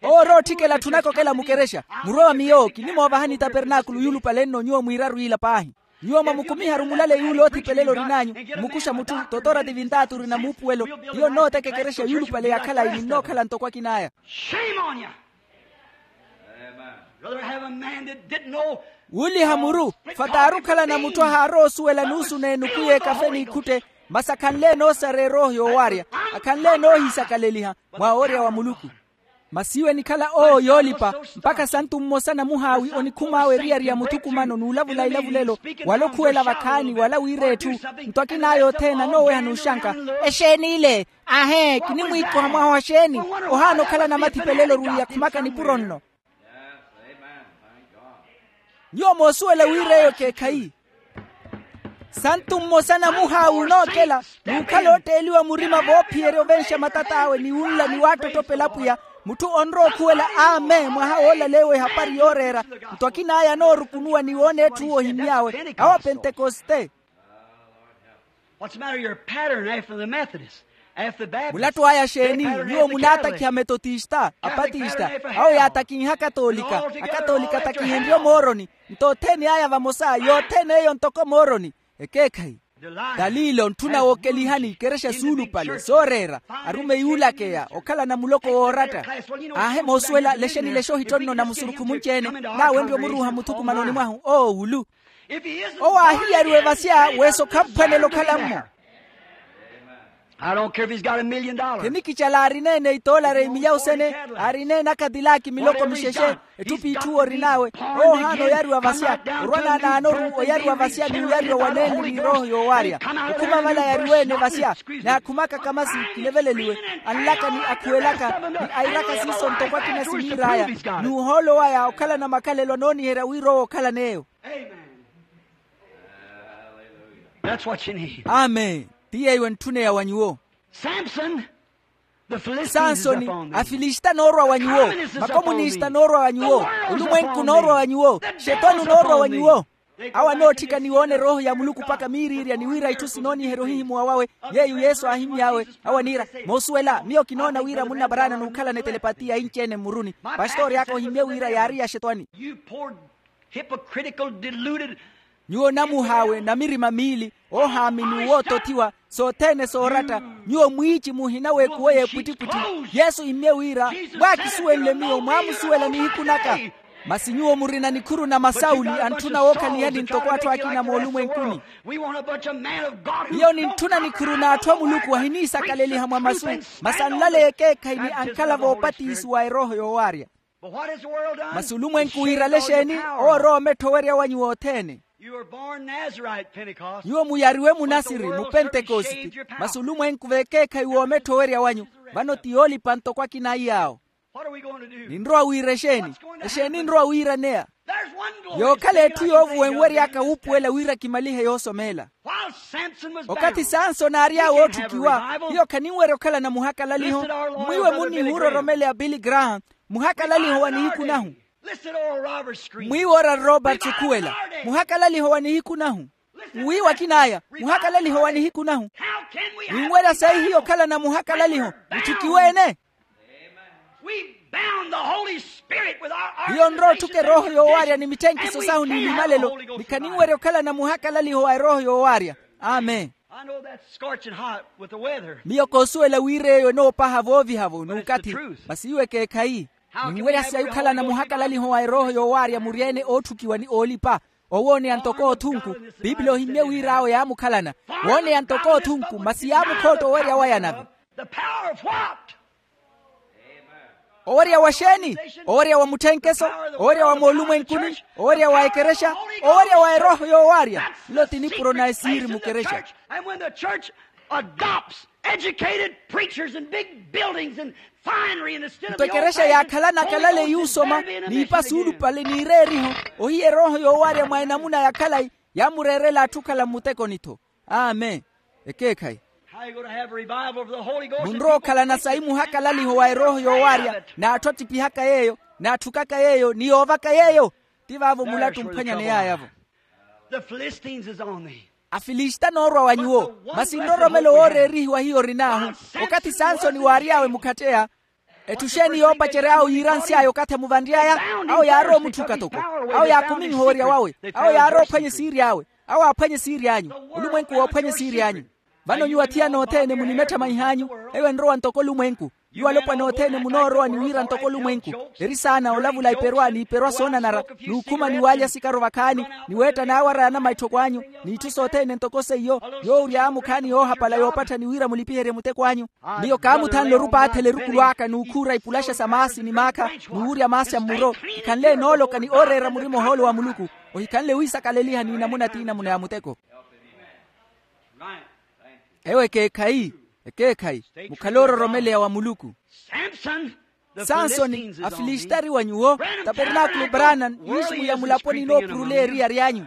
Owo orootthikela atthu naka okela mukerexa. Murowa miyo kinimoovahani tapernaakulu yuulupale nno nyuwo mwiiraru ila paahi. Nyuwo mwamukumiharu mulale yuula oothipelela orin'anyu. Mmukuxa mutthu totora tivintaati orina muupuwelo. Hiyo nnooteka ekerexa yuulupale ya khalayi ninnookhala ntoko akin'aya. Wuuliha muru. Fataari okhalana mutthu ahaarowa osuwela nuusu n'enuku y'ekafe n'ikhutte. Masi akhanle enoosareya erooho yoowaarya. Akhanle enoohisakaleliha mwa woorya wa muluku. Masi iwe enikhala owo yoolipa. Mpakha santu mmosa namuhaawi onikhum'awe eriyari ya muthukumano n'ulavula ilavulelo wala okhuwela vakhaani wala wira etthu. Nto akin'aya othene anooweha n'uxanka. Exeeni ile? Aahe kinimwiikoha mwaha wa xeeni? Ohaana okhalana mathipelelo ruwi yakhumaka nipuro nno. Nyuwo moosuwela wira eyo ekeekhayi. Santu mmosa namuhaawi onookela n'ukhala ootteeliwa murima voophiyerya ovenxa matat'awe ni wunla ni waattottopela apwiya. Mutthu onrowa okhuwela amen mwaha woolaleewa ehapari yooreera. Nto akin'aya anoorukunuwa ni woona etthu ohimmy'awe awo apentekoste. Mulattu aya xeeni? Nyuwo munaatakhiha metotista apatista. Awo yaatakinha akatolika. Akatolika atakihenrye mooroni. Nto othene aya vamosa yothene eyo ntoko mooroni. Ekeekhayi. Dalila ontthuna wookelihani ikerexa suulupale sooreera. Arumeyi uulakeya okhalana muloko wooratta. Aahe moosuwela lexeni lexa ohittonno na musurukhu munci-ene. Naawenrye omuruuha muthukumanoni mwahu oowulu. Owo aahiyariwa evasya. Weso khamphwanela okhala-mmo. Khenikicala aarina-ene itoolari imilyawu sene. Aarina-ene akhatilaki miloko mixexe. Etthu p'itthu orin'awe. Owo ohaana oyariwa vasya. Orwa naanaanoru oyariwa vasya ni oyariwa wanenli ni erooho yoowaarya. Okhuma vala yariwa-ene vasya. Naakhumaka kamasi kileveleliwe. Anlaka ni akhuwelaka ni airaka siiso ntoko akina siniir'aya. N'uhoolo waya okhalana makhalelo anooniherya wira owo okhalan'eyo. Amen. Ti yeeyo entthuneya wa nyuwo. Sansoni. Afilisita anoorwa wa nyuwo. Makomunista anoorwa wa nyuwo. Olumwenku unoorwa wa nyuwo. Xetwani unoorwa wa nyuwo. Awo anootthika ni woona erooho ya muluku mpakha miiriirya ni wira itthu sinooniherya ohihimuwa wawe. Yeeyo yesu aahimmy'awe. Awo aniira, moosuwela miyo kinoona wira munna paraana n'ukhalana etelepatiya inci-ene mmuruni. Pastori aka ohimmye wira yaari yaxetwani. Nyuwo namuhaawe na mirima miili, oohaamini wootothiwa, sothene sooratta. Nyuwo mwiici muhina w'ekuwo y'epwittipwitthi. Yesu immye wira, mwaakisuwenle miyo mwaamusuwela nihiku naka. Masi nyuwo murina nikhuru na masawuli antthuna wookhalihani ntoko atthu akina moolumwenkuni. Hiyo nintthuna nikhuru n'atthu a muluku ahiniisakaleliha mwa masu, masi anlaleya ekeekhayi ni ankhala voopatisiwa erooho yoowaarya. Masi olumwenku wiirale exeeni? Owo orowa omettha owerya wanyu wothene. Nyuwo muyariwe munasiri mupentekositi. Masi olumwenku v'ekeekhayi w'omettha owerya wanyu. Vano ti yoolipa ntoko akina a iyaawo. Ninrowa wiira exeeni? Exeeni enrowa wiiraneya? Yookhala etthu yoovuwa enwery'aka wuupuwela wira kimalihe yoosomeela. Okathi sansoni aary'awe ootthukiwa, hiyo khaninwerya okhalana muhakalaliho. Mmwiiwe munnihuura oromeleya billy graham, muhakalaliho wa nihiku nahu. Mmwiiwe ora roberts okhuwela, muhakalaliho wa nihiku nahu. Mwiiwe akin'aya, muhakalaliho wa nihiku nahu. Ninwerya sayi hiyo okhalana muhakalaliho. Mutthukiwe-ene. Hiyo nrotthuka erooho yoowaarya ni mitthenkiso sahu n'ilimalelo. Ni khaninwerya okhalana muhakalaliho wa erooho yoowaarya. Amen. Miyo koosuwela wira eyo enoopaha vooviha-vo n'ukathi. Masi iwo ekeekhayi. Ninwerya sayi okhalana muhakalaliho wa erooho yoowaarya muryeene ootthukiwa ni oolipa. Owooneya ntoko othunku. Pipili ohimmye wira awo yaamukhalana. Wooneya ntoko othunku masi yaamukhootta owerya waya nave. Owerya wa xeeni? Owerya wa mutthenkeso? Owerya wa moolumwenkuni? Owerya wa ekerexa? Owerya wa erooho yoowaarya. Nlo ti nipuro na esiiri mukerexa. Nto ekerexa yaakhalana akalaleyi osoma n'ipa suulupale n'ireeriho. Ohiya erooho yoowaarya mwa enamuna ya khalayi yaamureerela atthu okhala mmutekoni-tho. Amen. Ekeekhayi. Munrowa okhalana sayi muhakalaliho wa erooho yoowaarya n'atthu attiphihaka yeeyo, n'atthukaka yeeyo ni yoovaka yeeyo. Ti vaavo mulattu omphwanyane yaaya-vo. Afilista anoorwa wa nyuwo. Masi nroromelo wooreerihiwa hiyo orin'ahu. Okathi sansoni waary'awe mukhatteya. Etthu xeeni yoopacery'awe yiiransy'aya okathi amuvanry'aya? Awo yaarowa omutthuka toko. Awo yaakuminha owerya wawe. Awo yaarowa ophwanya esiiri awe. Awo aaphwanya esiiri anyu. Olumwenku woophwanya esiiri anyu. Vano nyuwo athiyana othene munimetthamanyiha anyu. Eyo enrowa ntoko olumwenku. Nyuwo alopwana othene munoorowa ni wira ntoko olumwenku. Eri saana olavula iperwa n'iperwa soonanara, n'ukhuma ni waalya sikaro vakhaani, ni weetta naawara ya namaitthoko anyu, n'itthu sothene ntoko seiyo. Yoowurya aamukhaani yoohapala yoopattha ni wira mulipiherye muteko anyu. Miyo kaamuthanle orupaathela erukulu aka n'ukhuura ipulaxa sa maasi ni maakha, n'uwurya maasi a mmuro. Hikhanle enooloka ni ooreera murima ohoolo wa muluku. Ohikhanle wiisakaleliha n'inamuna t'inamuna ya muteko. Ewo ekeekhayi. Ekeekhayi. Mukhale oororomeleya wa muluku. Sansoni, afilistari wa nyuwo. Tapernaakulu branam, yiiximwiya mulaponi inoopuruleya eriyari anyu.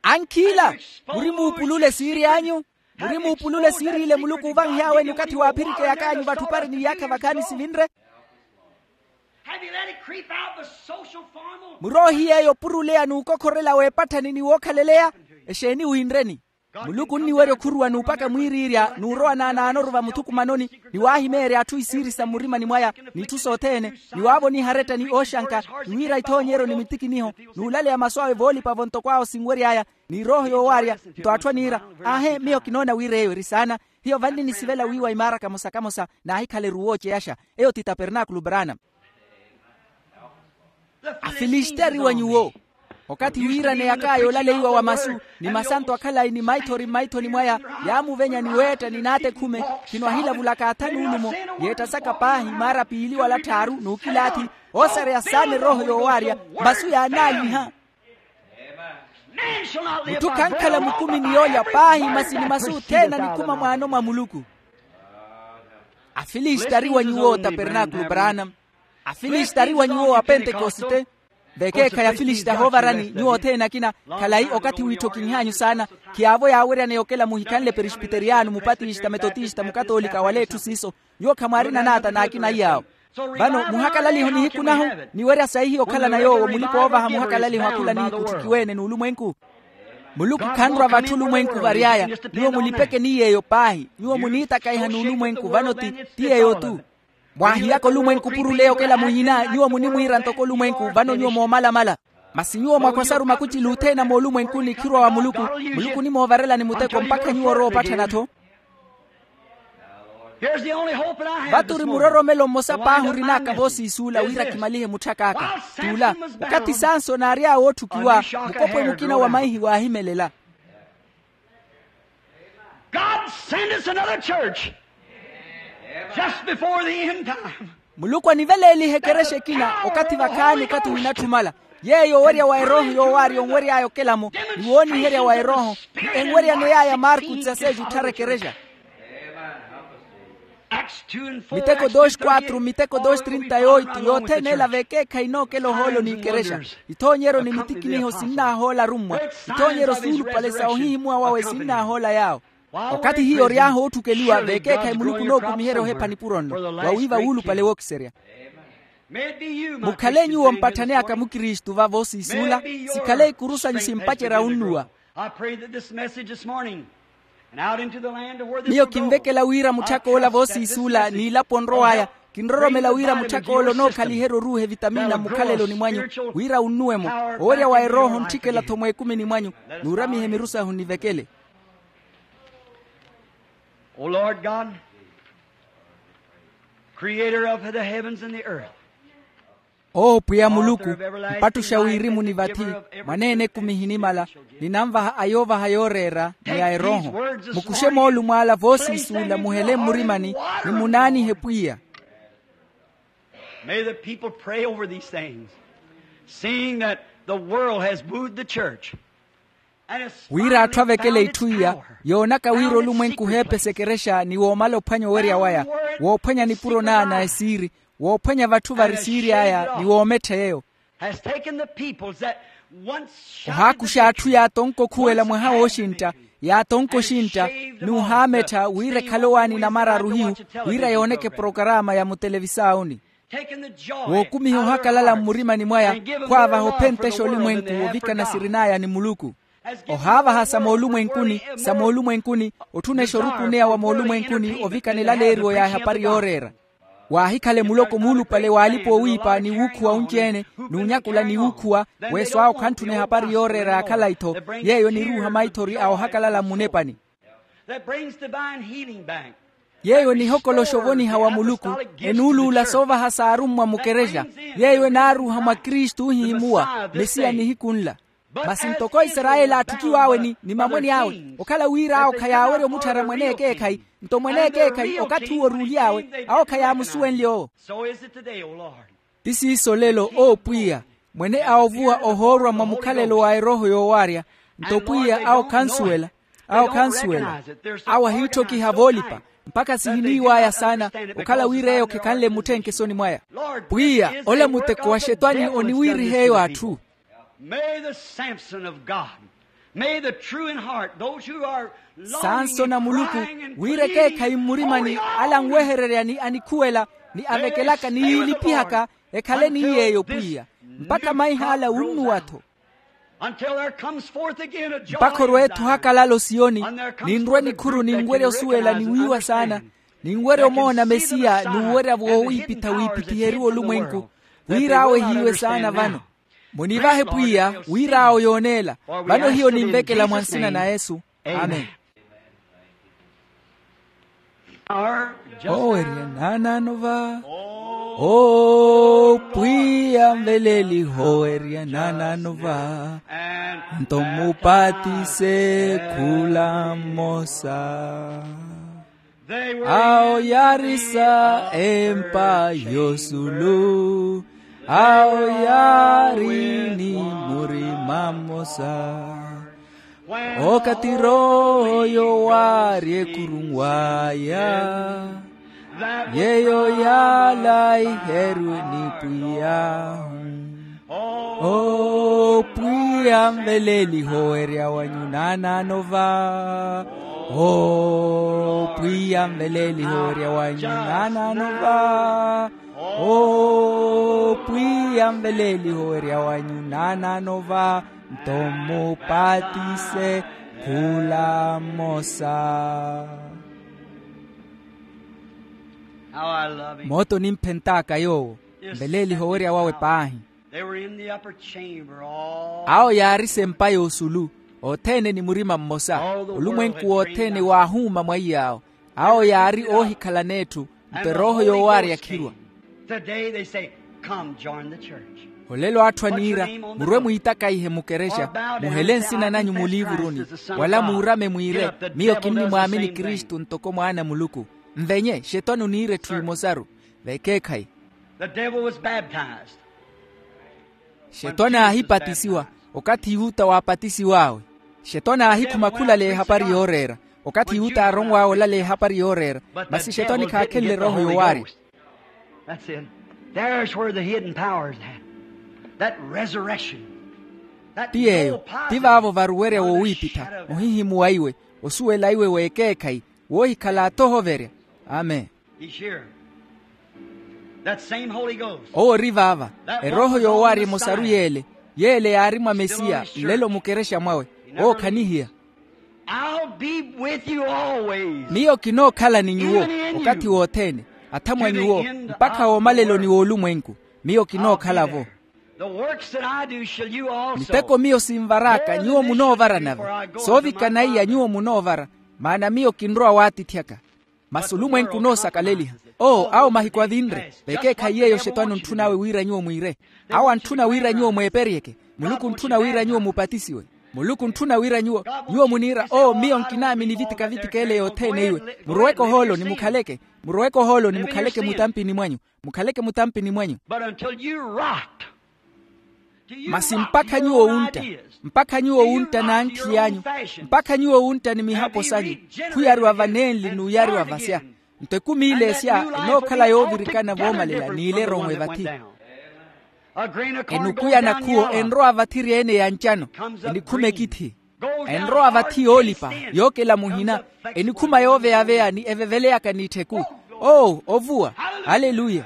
Ankhiila, muri muupulule esiiri anyu. Muri muupulule esiiri ile muluku oovahihaweni okathi waaphirikeyaka anyu vatthu opari n'iyaakha vakhaani sivinre. Muroohiyeeyo opuruleya n'ukokhorela w'epatthani ni wookhaleleya. Exeeni winreni? Muluku onniwerya okhuruwa n'upaka mwiiriirya n'urowa naanaanoru vamuthukumanoni, ni waahimeerya atthu isiiri sa mmurimani mwaya, n'itthu sothene, ni waavoniha aretta ni ooxanka, ni wiira ithoonyeryo ni mitikiniho, n'ulaleya masu awe voolipa-vo ntoko awo sinwery'aya. Ni erooho yoowaarya. Nto atthu aniira, aahe miyo kinoona wira eyo eri saana. Hiyo vanli nisivela wiiwa imaara kamosa-kamosa, naahikhala eruwo oceyaxa. Eyo ti tapernaakulu branam. Afilistari wa nyuwo. Okathi wiiraneyak'aya olaleiwa wa masu, ni masanto akhalayi ni maithori mmaithoni mwaya, yaamuvenya ni weetta ni naatekhume. Khino ahilavulaka atha n'ulumo, yeettasaka paahi maara piili wala tthaaru n'ukilaathi, oosareya saana erooho yoowaarya. Masu yaanaaliha. Mutthu khankhala mukumi ni yoolya paahi masi ni masu othene anikhuma mwaano mwa muluku. Afilistari wa nyuwo tapernaakulu branam. Afilistari wa nyuwo wa pentekosite. Vekeekhayi afilistari ahoovarani nyuwo othene akina. Khalayi okathi wiitthokinh'anyu saana. Khiyaavo yaaweryaneya okela muhikhanle perisipiteriyano mupatista metotista mukatoolika wala etthu siiso. Nyuwo khamwaarina naata n'akina iyaawo. Vano muhakalaliho nihiku nahu, niwerya sayi hiyo okhalana yoowo mulipa oovaha muhakalaliho akhula nihiku otthukiwe-ene n'ulumwenku. Muluku khanrwa vatthu olumwenku vary'aya. Nyuwo mulipeke ni yeeyo paahi. Nyuwo muniitakaiha n'ulumwenku vano ti ti yeeyo-tu. Mwaahiyaka olumwenku purule okela muhina nyuwo munimwiira ntoko olumwenku vano nyuwo moomalamala. Masi nyuwo mwakhwasaru makucili othene a moolumwenkuni khirwa wa muluku. Muluku onimoovarelani muteko mpakha nyuwo orowa opatthana-tho. Vato ori muroromelo mmosa paahi orin'aka voosiisuula wira kimalihe mutthak'aka. T'ula, okathi sansoni aary'awe ootthukiwa, mukopwe mukina wa maihi waahimelela. God send us another church just before the end time. Muluku aniveleelihe ekerexa ekina okathi vakhaani okathi ohinatthumala. Yeeyo owerya wa erooho yoowaari onwery'aya okelamo, ni wooniherya wa erooho, ni enweryaney'aya marku tsaseji otthara ekerexa. Miteko dos quatro, miteko dos trinta y oito, yothene ela vekeekhayi inookela ohoolo n'ikerexa. Ithoonyeryo ni mitikiniho sinnaahoola arummwa. Ithoonyeryo suulupale sa ohihimuwa wawe sinnaahoola yaawo. Okathi hiyo ory'ahu ootthukeliwa vekeekhayi muluku onookumiherya ohepha nipuro nno. Wawiiva wuulupale wookiserya. Mukhale nyuwo mpatthani aka mukristu vavo siisuula. Sikhale ikuru sanyu simpacerya wunnuwa. Miyo kinvekela wira mutthak'ola voosiisuula n'ilapo onrow'aya. Kinroromela wira mutthak'ola onookhaliherya oruuha evitamina mmukhaleloni mwanyu, wira wunnuwe-mo. Owerya wa erooho ontthikela-tho mweekumini mwanyu. Nuuramihe miru sahu nnivekele. O lord god, creator of the heavens and the earth. Owo pwiya muluku, mpattuxa wirimu ni vathi, mwaneene ekumi ehinimala, ninanvaha ayoovaha yooreera ni a erooho. Mukuxe moolumo ala voosiisuula muhele mmurimani, ni munaanihe pwiya. May the people pray over these things, seeing that the world has booed the church. Wira atthu avekele itthu iya, yoonaka wira olumwenku oheepesa ekerexa ni woomala ophwanya owerya waya, woophwanya nipuro naana esiiri, woophwanya vatthu vari siiri aya ni woomettha yeeyo. Ohaakuxa atthu yaatonka okhuwela mwaha wooxintta, yaatonka oxintta, n'uhaamettha wira ekhale owaani namararu hiyu, wira yooneke porokaraama ya mutelevisaawuni. Wookumiha ohakalala mmurimani mwaya, khwaavaha ophentexa olumwenku ovikana sirin'aya ni muluku. Ohaavaha sa moolumwenkuni, sa moolumwenkuni, otthunexa orukuneya wa moolumwenkuni ovikana elaleeriwo ya ehapari yooreera. Waahikhale muloko muulupale w'alipa oowiipa ni wuukhuwa onci-ene, n'unyakula ni wuukhuwa, weeso awe okhanttuna ehapari yooreera ya khalayi-tho. Yeeyo eniruuha maithori a ohakalala mmunepani. Yeeyo enihokoloxa ovoniha wa muluku, enuuluula soovaha saarummwa mukerexa. Yeeyo enaaruuha mwa kristu ohihimuwa mesiya nihiku nla. Masi ntoko isarayeli aatthukiw'awe ni mamweni awe, okhala wira awo khayaawerya omutthara mwene ekeekhayi, nto mwene ekeekhayi okathi uwo oruuly'awe, awo khayaamusuwenlye owo. Ti siiso olelo owo pwiya, mwene a ovuwa ohoorwa mwa mukhalelo wa erooho yoowaarya. Nto pwiya awo khansuwela, awo khansuwela. Awo ahiitthokiha voolipa, mpakha sihiniiw'aya saana, okhala wira eyo khekhanle mutthenkesoni mwaya. Pwiya, ola muteko wa xetwani oniwiiriha eyo atthu. May the samson of god, may the true in heart those who are sansoni a muluku, wira ekeekhayi mmurimani, ala anwehererya ni anikhuwela, ni avekelaka ni yiilipihaka, ekhale ni yeeyo pwiya, mpakha maih'ala wunnuwa-tho. Mpakha orwe-tho ohakalala osiyoni, ninrwe nikhuru ninwerya osuwela ni wiiwa saana, ninwerya omoona mesiya n'uwerya woowiipitha wiipithiheriwa olumwenku, wira awo ehiiwe saana vano. Munivahe pwiya wira awo yooneela. Vano hiyo ninvekela mwa nsina na yesu. Amen. Owerya naanaano va. O pwiya nveleliho owerya naanaano va. Nto mmupatise khula mmosa. Awo yaarisa empa yosulu. Awo yaari ni murima mmosa. Okathi roho yowaari ekhurunw'aya. Yeeyo yaalaiheriwe ni pwiyahu. O pwiya nveleliho owerya wanyu naanaano va. O pwiya nveleliho owerya wanyu naanaano va. Owo pwiya nveleeliho werya wanyu naanaano va, nto mmupatise khula mmosa. Mooto nimphent'aka yoowo. Nveleeliho werya wawe paahi. Awo yaari sempa y'osulu, othene ni murima mmosa. Olumwenku wothene waahuuma mwaiy'awo. Awo yaari oohikhalana etthu, nto erooho yoowaarya khirwa. Olelo atthu aniira, murwe mwiitakaihe mukerexa, muhele nsina nanyu muliivuruni, wala muurame mwiire, miyo kinnimwaamini kristu ntoko mwaana a muluku. Nvenye xetwani oniira etthu emosaru. Vekeekhayi. Xetwani aahipatisiwa okathi yuta waapatisiw'awe. Xetwani aahikhuma khulaleya ehapari yooreera. Okathi yuta aaronw'awe olaleya ehapari yooreera, masi xetwani khaakhenle erooho yowaarya. Ti yeeyo. Ti vaavo varuwerya wowiipitha, ohihimuwa iwe, osuwela iwe w'ekeekhayi, woohikhala athohoverya. Amen. Owo ori vaava. Erooho yoowaarya emosaru yeele, yeele yaari mwa mesiya nlelo mukerexa mwawe. Owo khanihiya. Miyo kinookhala ni nyuwo okathi wothene, athamwa nyuwo, mpakha woomaleloni w'olumwenku. Miyo kinookhala-vo. Miteko miyo sinvar'aka nyuwo munoovara nave. Soovikana iya nyuwo munoovara, maana miyo kinrowa waatithyaka. Masi olumwenku onoosakaleliha. Oo awo mahiku avinre vekeekhayi yeeyo xetwani ontthun'awe wira nyuwo mwiire. Awo antthuna wira nyuwo mweeperyeke. Muluku ontthuna wira nyuwo mupatisiwe. Muluku ontthuna wira nyuwo, nyuwo muniira oo miyo nkinaamini vitika-vitika ele yothene iwe. Muroweke ohooloni mukhaleke. Muroweke ohooloni mukhaleke mutampini mwanyu. Mukhaleke mutampini mwanyu. Masi mpakha nyuwo wuntta, mpakha nyuwo wuntta n'ankhi anyu, mpakha nyuwo wuntta ni mihapo sanyu, khuyariwa vanenli n'uyariwa vasya. Nto ekumi ile esya enookhala yoovirikana voomalela n'ile eromwe vathi. Enuku ya nakhuwo enrowa vathiri ene ya ncano, enikhuma ekithi. Enrowa vathi yoolipa, yookela muhina, enikhuma yooveya-veya ni eveveleyaka n'ittheku. Oo ovuwa. Aleluya.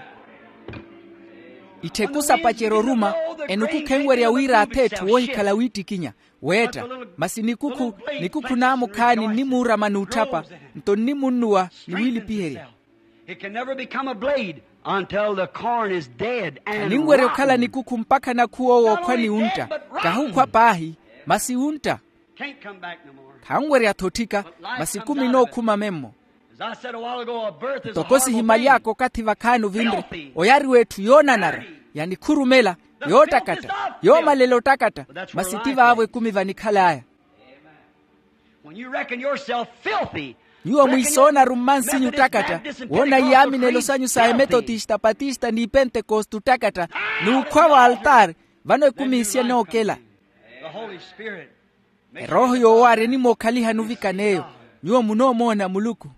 Ittheku sapacerya oruma. Enuku khenwerya wira ath'etthu woohikhala wiittikinya, weetta. Masi nikukhu, nikukhu naamukhaani nnimuurama n'utthapa, nto nnimunnuwa ni wiilipiherya. It can never become a blade until the corn is dead and rotten. Aninwerya okhala nikukhu mpakha nakhuwo wookhwa ni wuntta. Kahukhwa paahi, masi wuntta. Khanwerya-tho otthika. Masi ekumi enookhuma memmo. Ntoko sihimaly'aka okathi vakhaani ovinre, oyariwa etthu yoonanara, yanikhurumela, yoottakatta, yoomalela ottakatta. Masi ti vaavo ekumi vanikhal'aya. Nyuwo mwiisoonaru mmansinyu ottakatta, woona iyaaminelo sanyu sa emetotista, patista ni pentekoste ottakatta, n'ukhwa w'altaari. Vano ekumi isiya enookela. Erooho yoowaarya enimookhaliha nuvikana eyo. Nyuwo munoomoona muluku.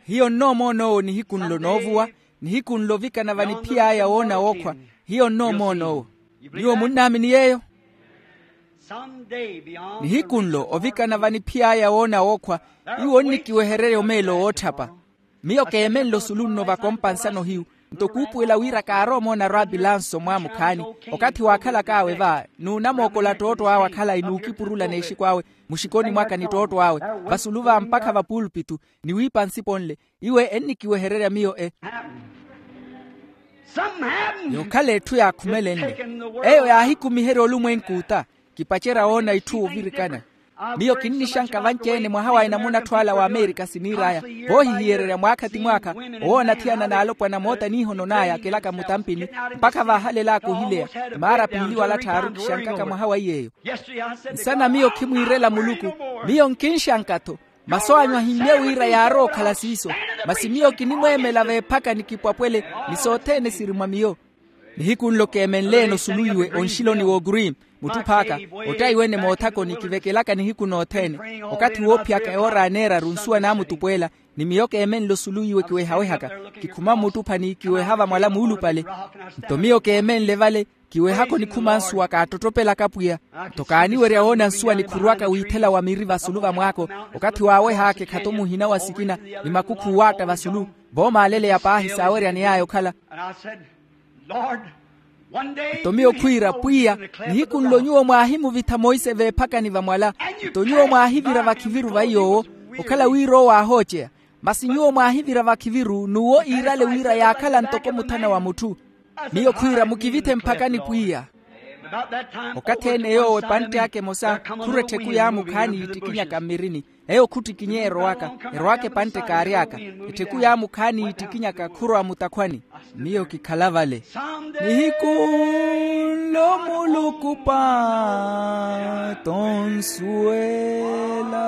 Hiyo nnoomoona owo nihiku nlo noovuwa, nihiku nlo ovikana vaniphiy'aya woona wookhwa. Hiyo nnoomoona owo. Nyuwo munnaamini yeeyo? Nihiku nlo ovikana vaniphiy'aya woona wookhwa, iwo onnikiwehererya omeelo wootthapa. Miyo keemenle osulu nno vakompa nsano hiyu. Nto kuupuwela wira kaarowa omoona rwapilanso mwaamukhaani, okathi waakhalak'awe va, n'unamookola ttootto awe akhalayi n'ukipurula n'exiku awe muxikoni mwaka ni ttootto awe, vasulu va mpakha vapuulpitu, ni wiipa nsipo nle. Iwe ennikiwehererya miyo e. Yookhala etthu yaakhumelenle. Eyo yaahikumiherya olumwenku ota. Kipacerya woona itthu ovirikana. Miyo kinnixanka vanci-ene mwaha wa enamuna atthu ala w'amerika siniir'aya, voohihiyererya mwaakha ti mwaakha, owoona athiyana n'alopwana moota niihonon'aya akelaka mutampini, mpakha vaahalel'aka ohileya. Maara piili wala tthaaru kixankaka mwaha wa iy'eyo. Nsana miyo khimwiirela muluku. Miyo nkinxanka-tho. Masu anyu ahimmye wira yaarowa okhala siiso. Masi miyo kinimweemela veephaka ni kipwapwele, ni sothene siri mwa miyo. Nihiku nlo keemenle-ene osulu iwe onxiloni w'oguri. Mutthu phaaka ottayi wene moothakoni kivekelaka nihiku nothene. Okathi woophiyaka ewoora aneeraru nsuwa naamutupweela, ni miyo keemenle osulu iwe kiwehawehaka. Kikhuma mmuttuphani kiweha vamwala muulupale. Nto miyo keemenle vale, kiwehaka onikhuma nsuwa kaattottopelaka pwiya. Nto kaaniwerya woona nsuwa nikhuruwaka wiithela wa miri vasulu vamwaako. Okathi waaweh'aka ekhato muhina wa sikina, ni makukhu waatta vasulu. Voomaaleleya paahi saaweryaney'aya okhala. Nto miyo khwiira pwiya, nihiku nlo nyuwo mwaahimuvitha monse veephakani vamwala. Nto nyuwo mwaahivira vakhiviru va iy'owo, okhala wira owo aahooceya. Masi nyuwo mwaahivira vakhiviru n'uwo iirale wira yaakhala ntoko muthana wa mutthu. Miyo khwiira mukivithe mphakani pwiya. Okathi ene yoowo epantte aka emosa khurwa ettheku yaamu khaani yiittikinyaka mmirini. Eyo khuttikinyeya erowaka. Erowaka epantte kaary'aka. Ettheku yaamu khaani yiittikinyaka khurwa mutakhwani. Miyo kikhala vale. Nihiku nlo muluku paatto onsuwela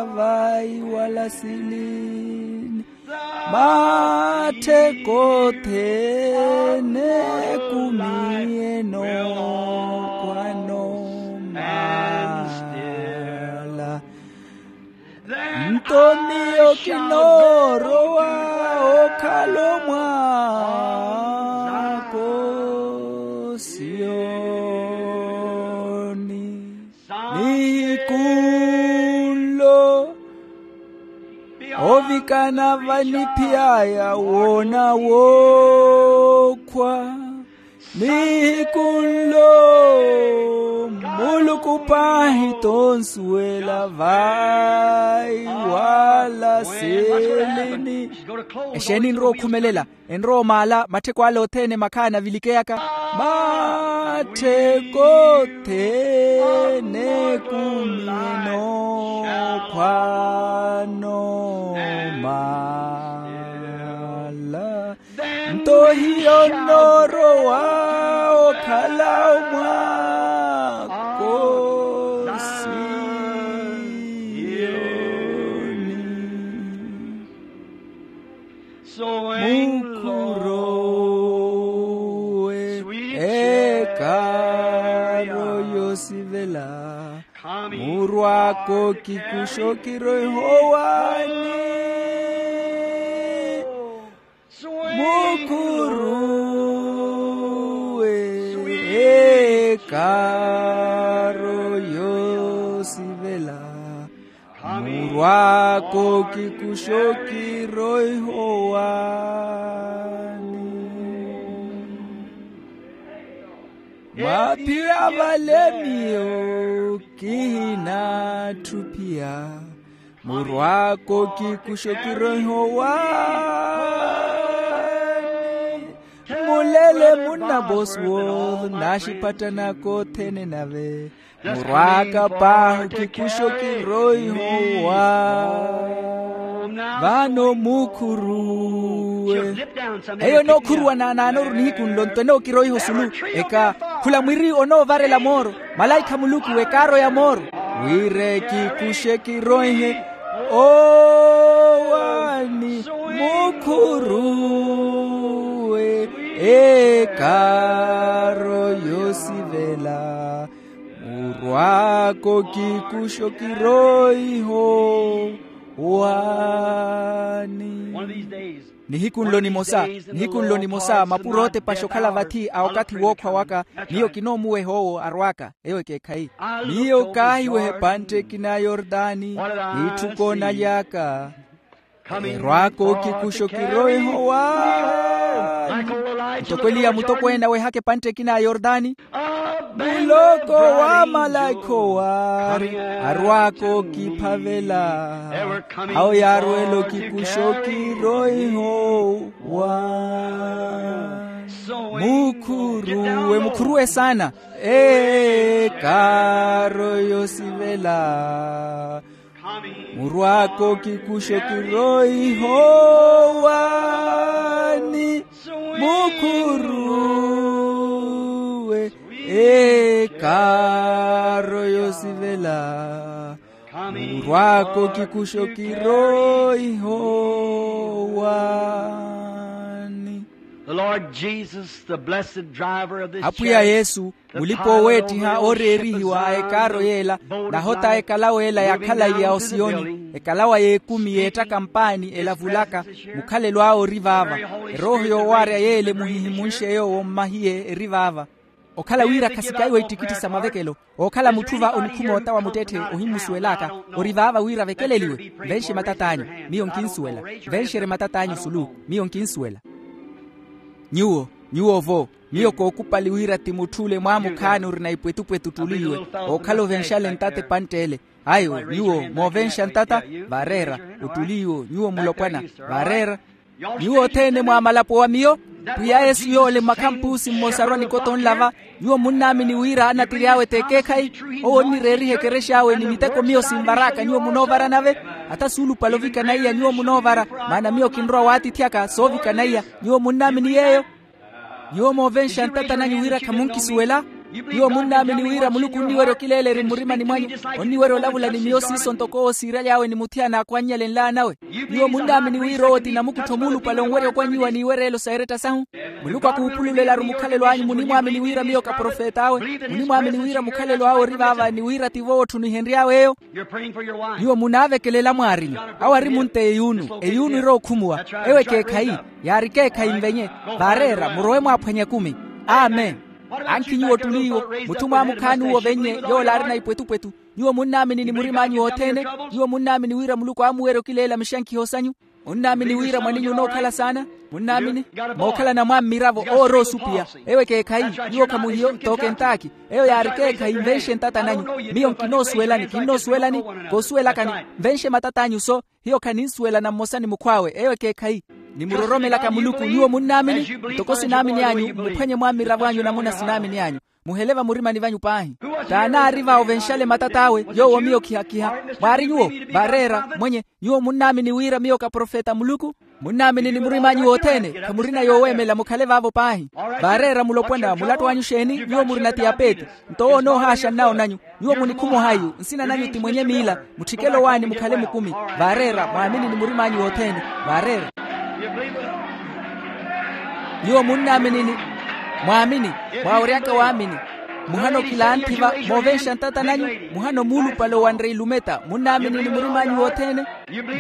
vayi wala silini. Mattheko othene ekumi enokhwano mala. Nto miyo kinoorowa okhala omwaako siyoni. Nihiku nlo ovikana vaniphiy'aya woona wookhwa. Nihiku nlo muluku paahi tonsuwela vayi wala silini. Exeeni enrowa okhumelela? Enrowa omaala mattheko ale othene makhaani avilikeyaka. Mattheko othene ekumi enokhwano mala. Nto hiyo nnoorowa okhala omwaako siyoni. Mukhuruwe ekaaro yoosivela, murw'aka okikuxa okiroiha owaani. Mukhuruwe ekaaro yoosivela, murw'aka okikuxa okiroiha owaani. Mwaaphiya vale miyo kihinatthu ophiya, murw'aka okikuxa okiroiha owaani. Mulele munna Bosworth n'axipattan'aka othene nave, murw'aka paahi okikuxa okiroiha owaani. Vano mukhuruwe. Eyo enookhuruwa naanaanoru nihiku nlo nto enookiroiha osulu. Eka khula mwiri onoovarela mooro. Malaikha a Muluku ekaaro ya mooro. Wira ekikuxe kiroihe owaani. Mukhuruwe ekaaro yoosivela, murw'aka okikuxa okiroiha owaani. Nihiku nlo nimosa, nihiku nlo nimosa mapuro ootepaxa okhala vathi a okathi wookhwa waka. Miyo kinoomuweha owo arw'aka. Eyo ekeekhayi. Miyo kaahiweha epantte ekina ya yortani n'itthu koonaly'aka, erw'aka okikuxa okiroiha owaani. Ntoko eliya mutokweene awehaka epantte ekina ya yortani, muloko wa malaikha owaari arw'aka okiphavela, awo yaarwela okikuxa okiroiha owaani. Mukhuruwe, mukhuruwe saana. Ekaaro yoosivela, murw'aka okikuxa okiroiha owaani. Mukhuruwe ekaaro yoosivela, murw'aka okikuxa okiroiha owaani. The Lord Jesus, the blessed driver of this apwiya chariot, yesu, the mulipa pilot oweettiha over the ship of ooreerihiwa a Zion, ekaaro yeela, the nahota a ekalawa ela ya khalayi ya osiyoni, ekalawa y'ekumi yeettaka mpaani elavulaka, mukhalelo awe ori vaava. Erooho yoowaarya yeela emuhihimunxe yoowo mmahiye eri vaava. Okhala wira khasikaiwa ittikitthi sa mavekelo, ookhala mutthu va onikhuma ota wa muttetthe, ohimmusuwel'aka, ori vaava wira avekeleliwe. Nvenxe matat'anyu, miyo nkinsuwela. Nvenxerye matat'anyu sulu, miyo nkinsuwela. Nyuwo, nyuwo-vo, miyo kookupali wira ti mutth'ule mwaamukhaani orina ipwetupwetu ottuli iwe, ookhala ovenxale ntata epantt'ele. Ayo, nyuwo moovenxa ntata? Vaareera. Ottuli iwo, nyuwo mulopwana. Vaareera. Nyuwo othene mwaamalapo wa miyo. Pwiya yesu yoole mmakhampuusi mmosaru a nikoto nla va. Nyuwo munnaamini wira anatir'awe t'ekeekhayi? Owo onnireeriha ekerexa awe ni miteko miyo sinvar'aka nyuwo munoovara nave. Hata suulupale ovikana iya nyuwo munoovara, maana miyo kinrowa waatithyaka soovikana iya. Nyuwo munnaamini yeeyo? Nyuwo moovenxa ntata nanyu wira khamunkisuwela? Nyuwo munnaamini wira muluku onniwerya okileela eri mmurimani mwanyu, onniwerya olavula ni miyo siiso ntoko owo siiraly'awe ni muthiyana akhwannyale nlaan'awe? Nyuwo munnaamini wira owo ti namukuttho muulupale onwerya okwanyiwa n'iwereelo sa eretta sahu? Muluku akuupululelaru mukhalelo anyu munimwaamini wira miyo ka profet'awe? Munimwaamini wira mukhalelo awe ori vaava ni wira tivo owo otthu nihenry'awe eyo? Nyuwo munaavekelela mwaarimu. Awo ari munta eyuunu, eyuunu iri okhumuwa. Ewo ekeekhayi. Yaari ekeekhayi nvenye. Vaareera murowe mwaaphwanye ekumi. Amen. Ankhi nyuwo ottuli iwo, mutthu mwaamukhaani uwo ovennye, yoola arina ipwetupwetu. Nyuwo munnaamini ni murim'anyu wothene? Nyuwo munnaamini wira muluku aamuwerya okileela mixankhiho sanyu? Munnaamini wira mwaninyu onookhala saana? Munnaamini? Mookhalana mwaammiravo owo ori osupiya. Ewo ekeekhayi. Nyuwo khamuhiyo, tookenttaaki. Eyo yaari ekeekhayi nvenxe ntata nanyu. Miyo nkinoosuwelani kinnoosuwelani. Koosuwelakani. Nvenxe matat'anyu so. Hiyo khaninsuwelana mmosa ni mukhw'awe eyo ekeekhayi. Nimuroromelaka muluku nyuwo munnaamini. Ntoko sinaamini anyu mmuphwanye mwaammiravo anyu namuna sinaamini anyu. Muhele vamurimani vanyu paahi. T'anaari va ovenxale matat'awe yoowo miyo khihakiha. Mwaari nyuwo? Vaareera mwenye. Nyuwo munnaamini wira miyo ka profeta a muluku? Munnaamini ni murim'anyu wothene? Khamurina yooweemela mukhale vaavo paahi. Vaareera mulopwana mulattu anyu exeeni nyuwo murina tiyapeti? Nto owo onoohaaxa nnawo nanyu. Nyuwo munikhuma ohayu nsina nanyu ti mwenye miila. Mutthikele owaani mukhale mukumi. Vaareera mwaamini ni murim'anyu wothene. Vaareera. Nyuwo munnaamini ni mwaamini. Mwaaweryaka waamini. Muhano kilanthi va moovenxa ntata nanyu. Muhano muulupale owanre ilumeta munnaamini ni murim'anyu wothene.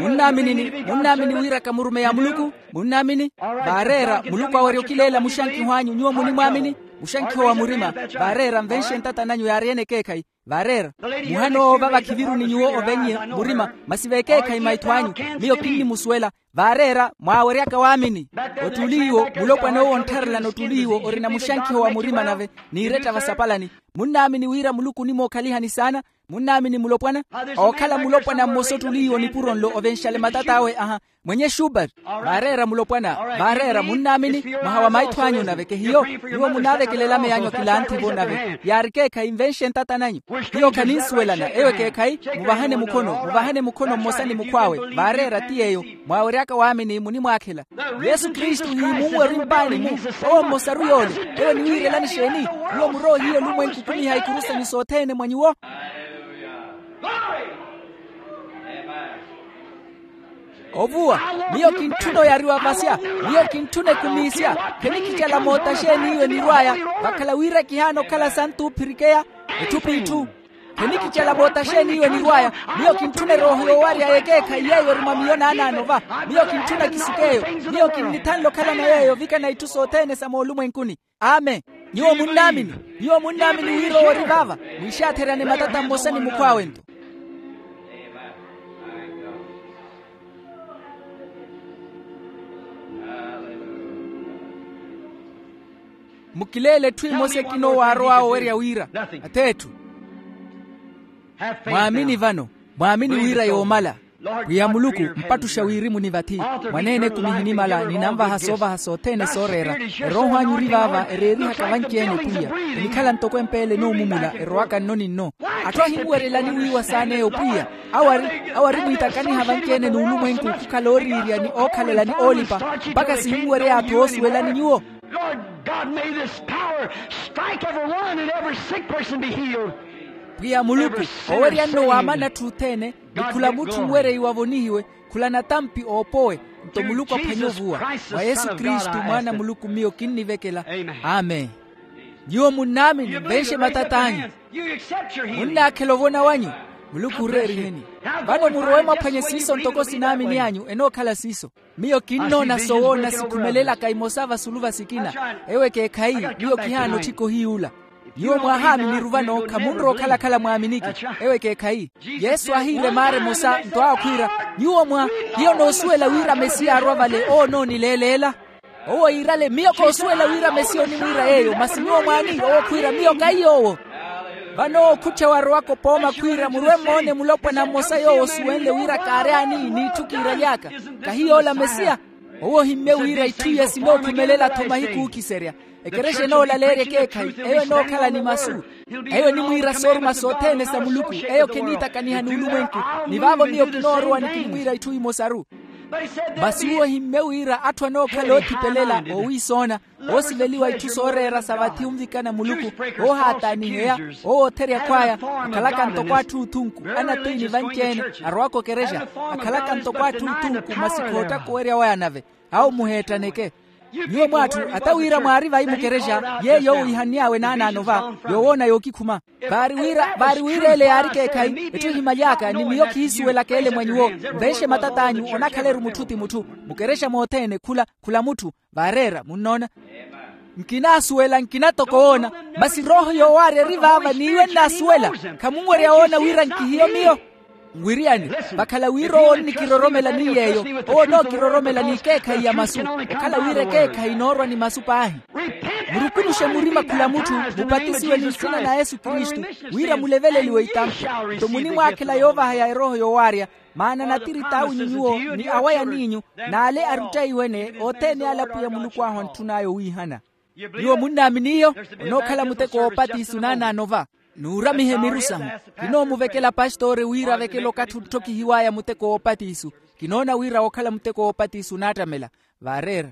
Munnaamini ni munnaamini wira ka murumeyi a muluku? Munnaamini? Vaareera muluku awerya okileela muxankiho anyu nyuwo munimwaamini. Muxankiho wa murima. Vaareera nvenxe ntata nanyu yaari ene ekeekhayi. Vaareera. Muhano owo vava khiviruni nyuwo ovennye murima. Masi vekeekhayi maitho anyu. Miyo kinnimusuwela. Vaareera mwaaweryaka waamini. Ottuli iwo mulopwana owo onttharelana ottuli iwo orina muxankiho wa murima nave. Niiretta vasapalani. Munnaamini wira muluku onimookhalihani saana? Munnaamini mulopwana? Ookhala mulopwana mmosa ottuli iwo nipuro nlo ovenxale matat'awe aha. Mwenye xubert. Vaareera mulopwana. Vaareera munnaamini. Mwaha wa maitho anyu nave kehiyo. Nyuwo munaavekelela meyanyu akilanthi-vo nave yaari ekeekhayi nvenxe ntata nanyu. Hiyo khaninsuwelana eyo ekeekhayi. Muvahane mukhono muvahane mukhono mmosa ni mukhw'awe. Vaareera ti yeeyo. Mwaaweryaka waamini munimwaakhela. Yesu kristu hiimunwe ori mpaani-mu. Owo mmosaru yoole. Eyo niwiirelani exeeni? Nyuwo muroohiye olumwenku okumiha ikuru sanyu sothene mwa nyuwo. Ovuwa. Miyo kintthuna oyariwa vasya. Miyo kintthuna ekumiisya. Khenikicala moota xeeni iwe nirw'aya? Vakhala wira kihaana okhala santu ophirikeya. Etthu p'itthu. Khenikicala moota xeeni iwe nirw'aya? Miyo kintthuna erooho yoowarya y'ekeekhayi yeeyo eri mwa miyo naanaano va. Miyo kintthuna kisikeeyo. Miyo kinnithanle okhalana yeeyo ovikana itthu sothene sa moolumwenkuni. Amen. Nyuwo munnaamini? Nyuwo munnaamini wira owo ori vaava? Mwiixaatheryane matata mmosa ni mukhw'awe-nto. Mukileele etthu emosa ekina owo aarow'awe owerya wira ath'etthu. Mwaamini vano. Mwaamini wira yoomala. Pwiya muluku, mpattuxa wirimu ni vathi. Mwaneene-ku nihinimala ninanvaha soovaha sothene sooreera. Erooho anyu ori vaava ereerihaka vanci-ene pwiya. Enikhala ntoko empeele enoomumula erowaka nno ni nno. Atthu ahinwerelani wiiwa saana eyo pwiya. Awo ari awo ari mwiitakaniha vanci-ene n'ulumwenku khukhala ooriirya ni ookhalela ni oolipa. Mpakha sihinwerya atthu oosuwelani nyuwo. Lord god may this power strike every one and every sick person be healed. Pwiya muluku, owerya nno waamana atthu othene. Ni khula mutthu onwereiwa avonihiwe. Khula natampi oopowe. Nto muluku aphwanye ovuwa. Mwa yesu kristu mwaana a muluku miyo kinnivekela. Amen. Nyuwo munnaamini nvenxe matat'anyu. Munnaakhela ovona wanyu. Muluku oreeriheni. Vano murowe mwaphwanye siiso ntoko sinaamini anyu enookhala siiso. Miyo kinnoona sowoona sikhumelelaka imosa vasulu va sikina. Ewo ekeekhayi. Miyo kihaana otthika ohiy'ula. Nyuwo mwaahaaminiru vano khamunrowa okhalakhala mwaaminiki. Ewo ekeekhayi. Yesu aahiira emaara emosa nto aakhwiira, nyuwo mwa hiyo noosuwela wira mesiya arwa vale owo onoonileeleela. Owo iirale miyo koosuwela wira mesiya onimwiira yeeyo masi nyuwo mwaani owo khwiira miyo kaiy'owo. Vano owo khuttha warowaka opooma khwiira murwe mmoone mulopwana mmosa yoowo osuwenle wira kaary'ani n'itthu kiiraly'aka. Kahi yoola mesiya. Owo ohimmye wira itthu iye sinookhumelela-tho mahiku ookiserya. Ekerexa enoolaleerya ekeekhayi eyo enookhala ni masu. Eyo enimwiira sooruma sothene sa muluku. Eyo kheniitakaniha n'ulumwenku. Ni vaavo miyo kinoorowa nikinimwiira itthu imosaru. Masi uwo ohimmye wira atthu anookhala oothipelela oowiisoona, oosiveliwa itthu sooreera sa vathi onvikana muluku, oohaataaniheya, owootherya akhw'aya, akhalaka ntoko atthu othunku, anatiini vanci-ene, arowaka okerexa, akhalaka ntoko atthu othunku masi khoottaka owerya waya nave. Awo muheettaneke. Nyuwo mw'atthu ata wira mwaari vayi mukerexa yeeyo owiihann'awe naanaano va, yoowoona yookikhuma. Vaari wira vaari wira ele yaari ekeekhayi etthu ehimaly'aka ni miyo khiisuwelaka ele mwa nyuwo. Nvenxe matat'anyu onakhaleru mutthu ti mutthu. Mukerexa mothene khula khula mutthu. Vaareera munnoona. Nkinaasuwela nkinatoka owoona. Masi rooho yoowaarya eri vaava n'iwe nnaasuwela. Khamunwerya woona wira nkihiyo miyo. Nwiriyani. Vakhala wira owo onnikiroromela ni yeeyo, owo onookiroromela n'ikeekhayi ya masu. Okhala wira ekeekhayi inoorwa ni masu paahi. Murukunuxe murima khula mutthu, mupatisiwe ni nsina na yesu kristu, wira muleveleliwe itampi. Nto munimwaakhela yoovahaya erooho yoowaarya. Maana natirita awe ni nyuwo ni awayaniinyu, n'ale aruttaiwe-ene othene ale apwiya muluku ahu antthun'aya owiihana. Nyuwo munnaamini iyo? Onookhala muteko woopatiso naanaano va. Nuuramihe miru sahu. Kinoomuvekela pastoori wira avekele okathi ontthokihiw'aya muteko woopatiso. Kinoona wira wookhala muteko woopatiso onaattamela. Vaareera.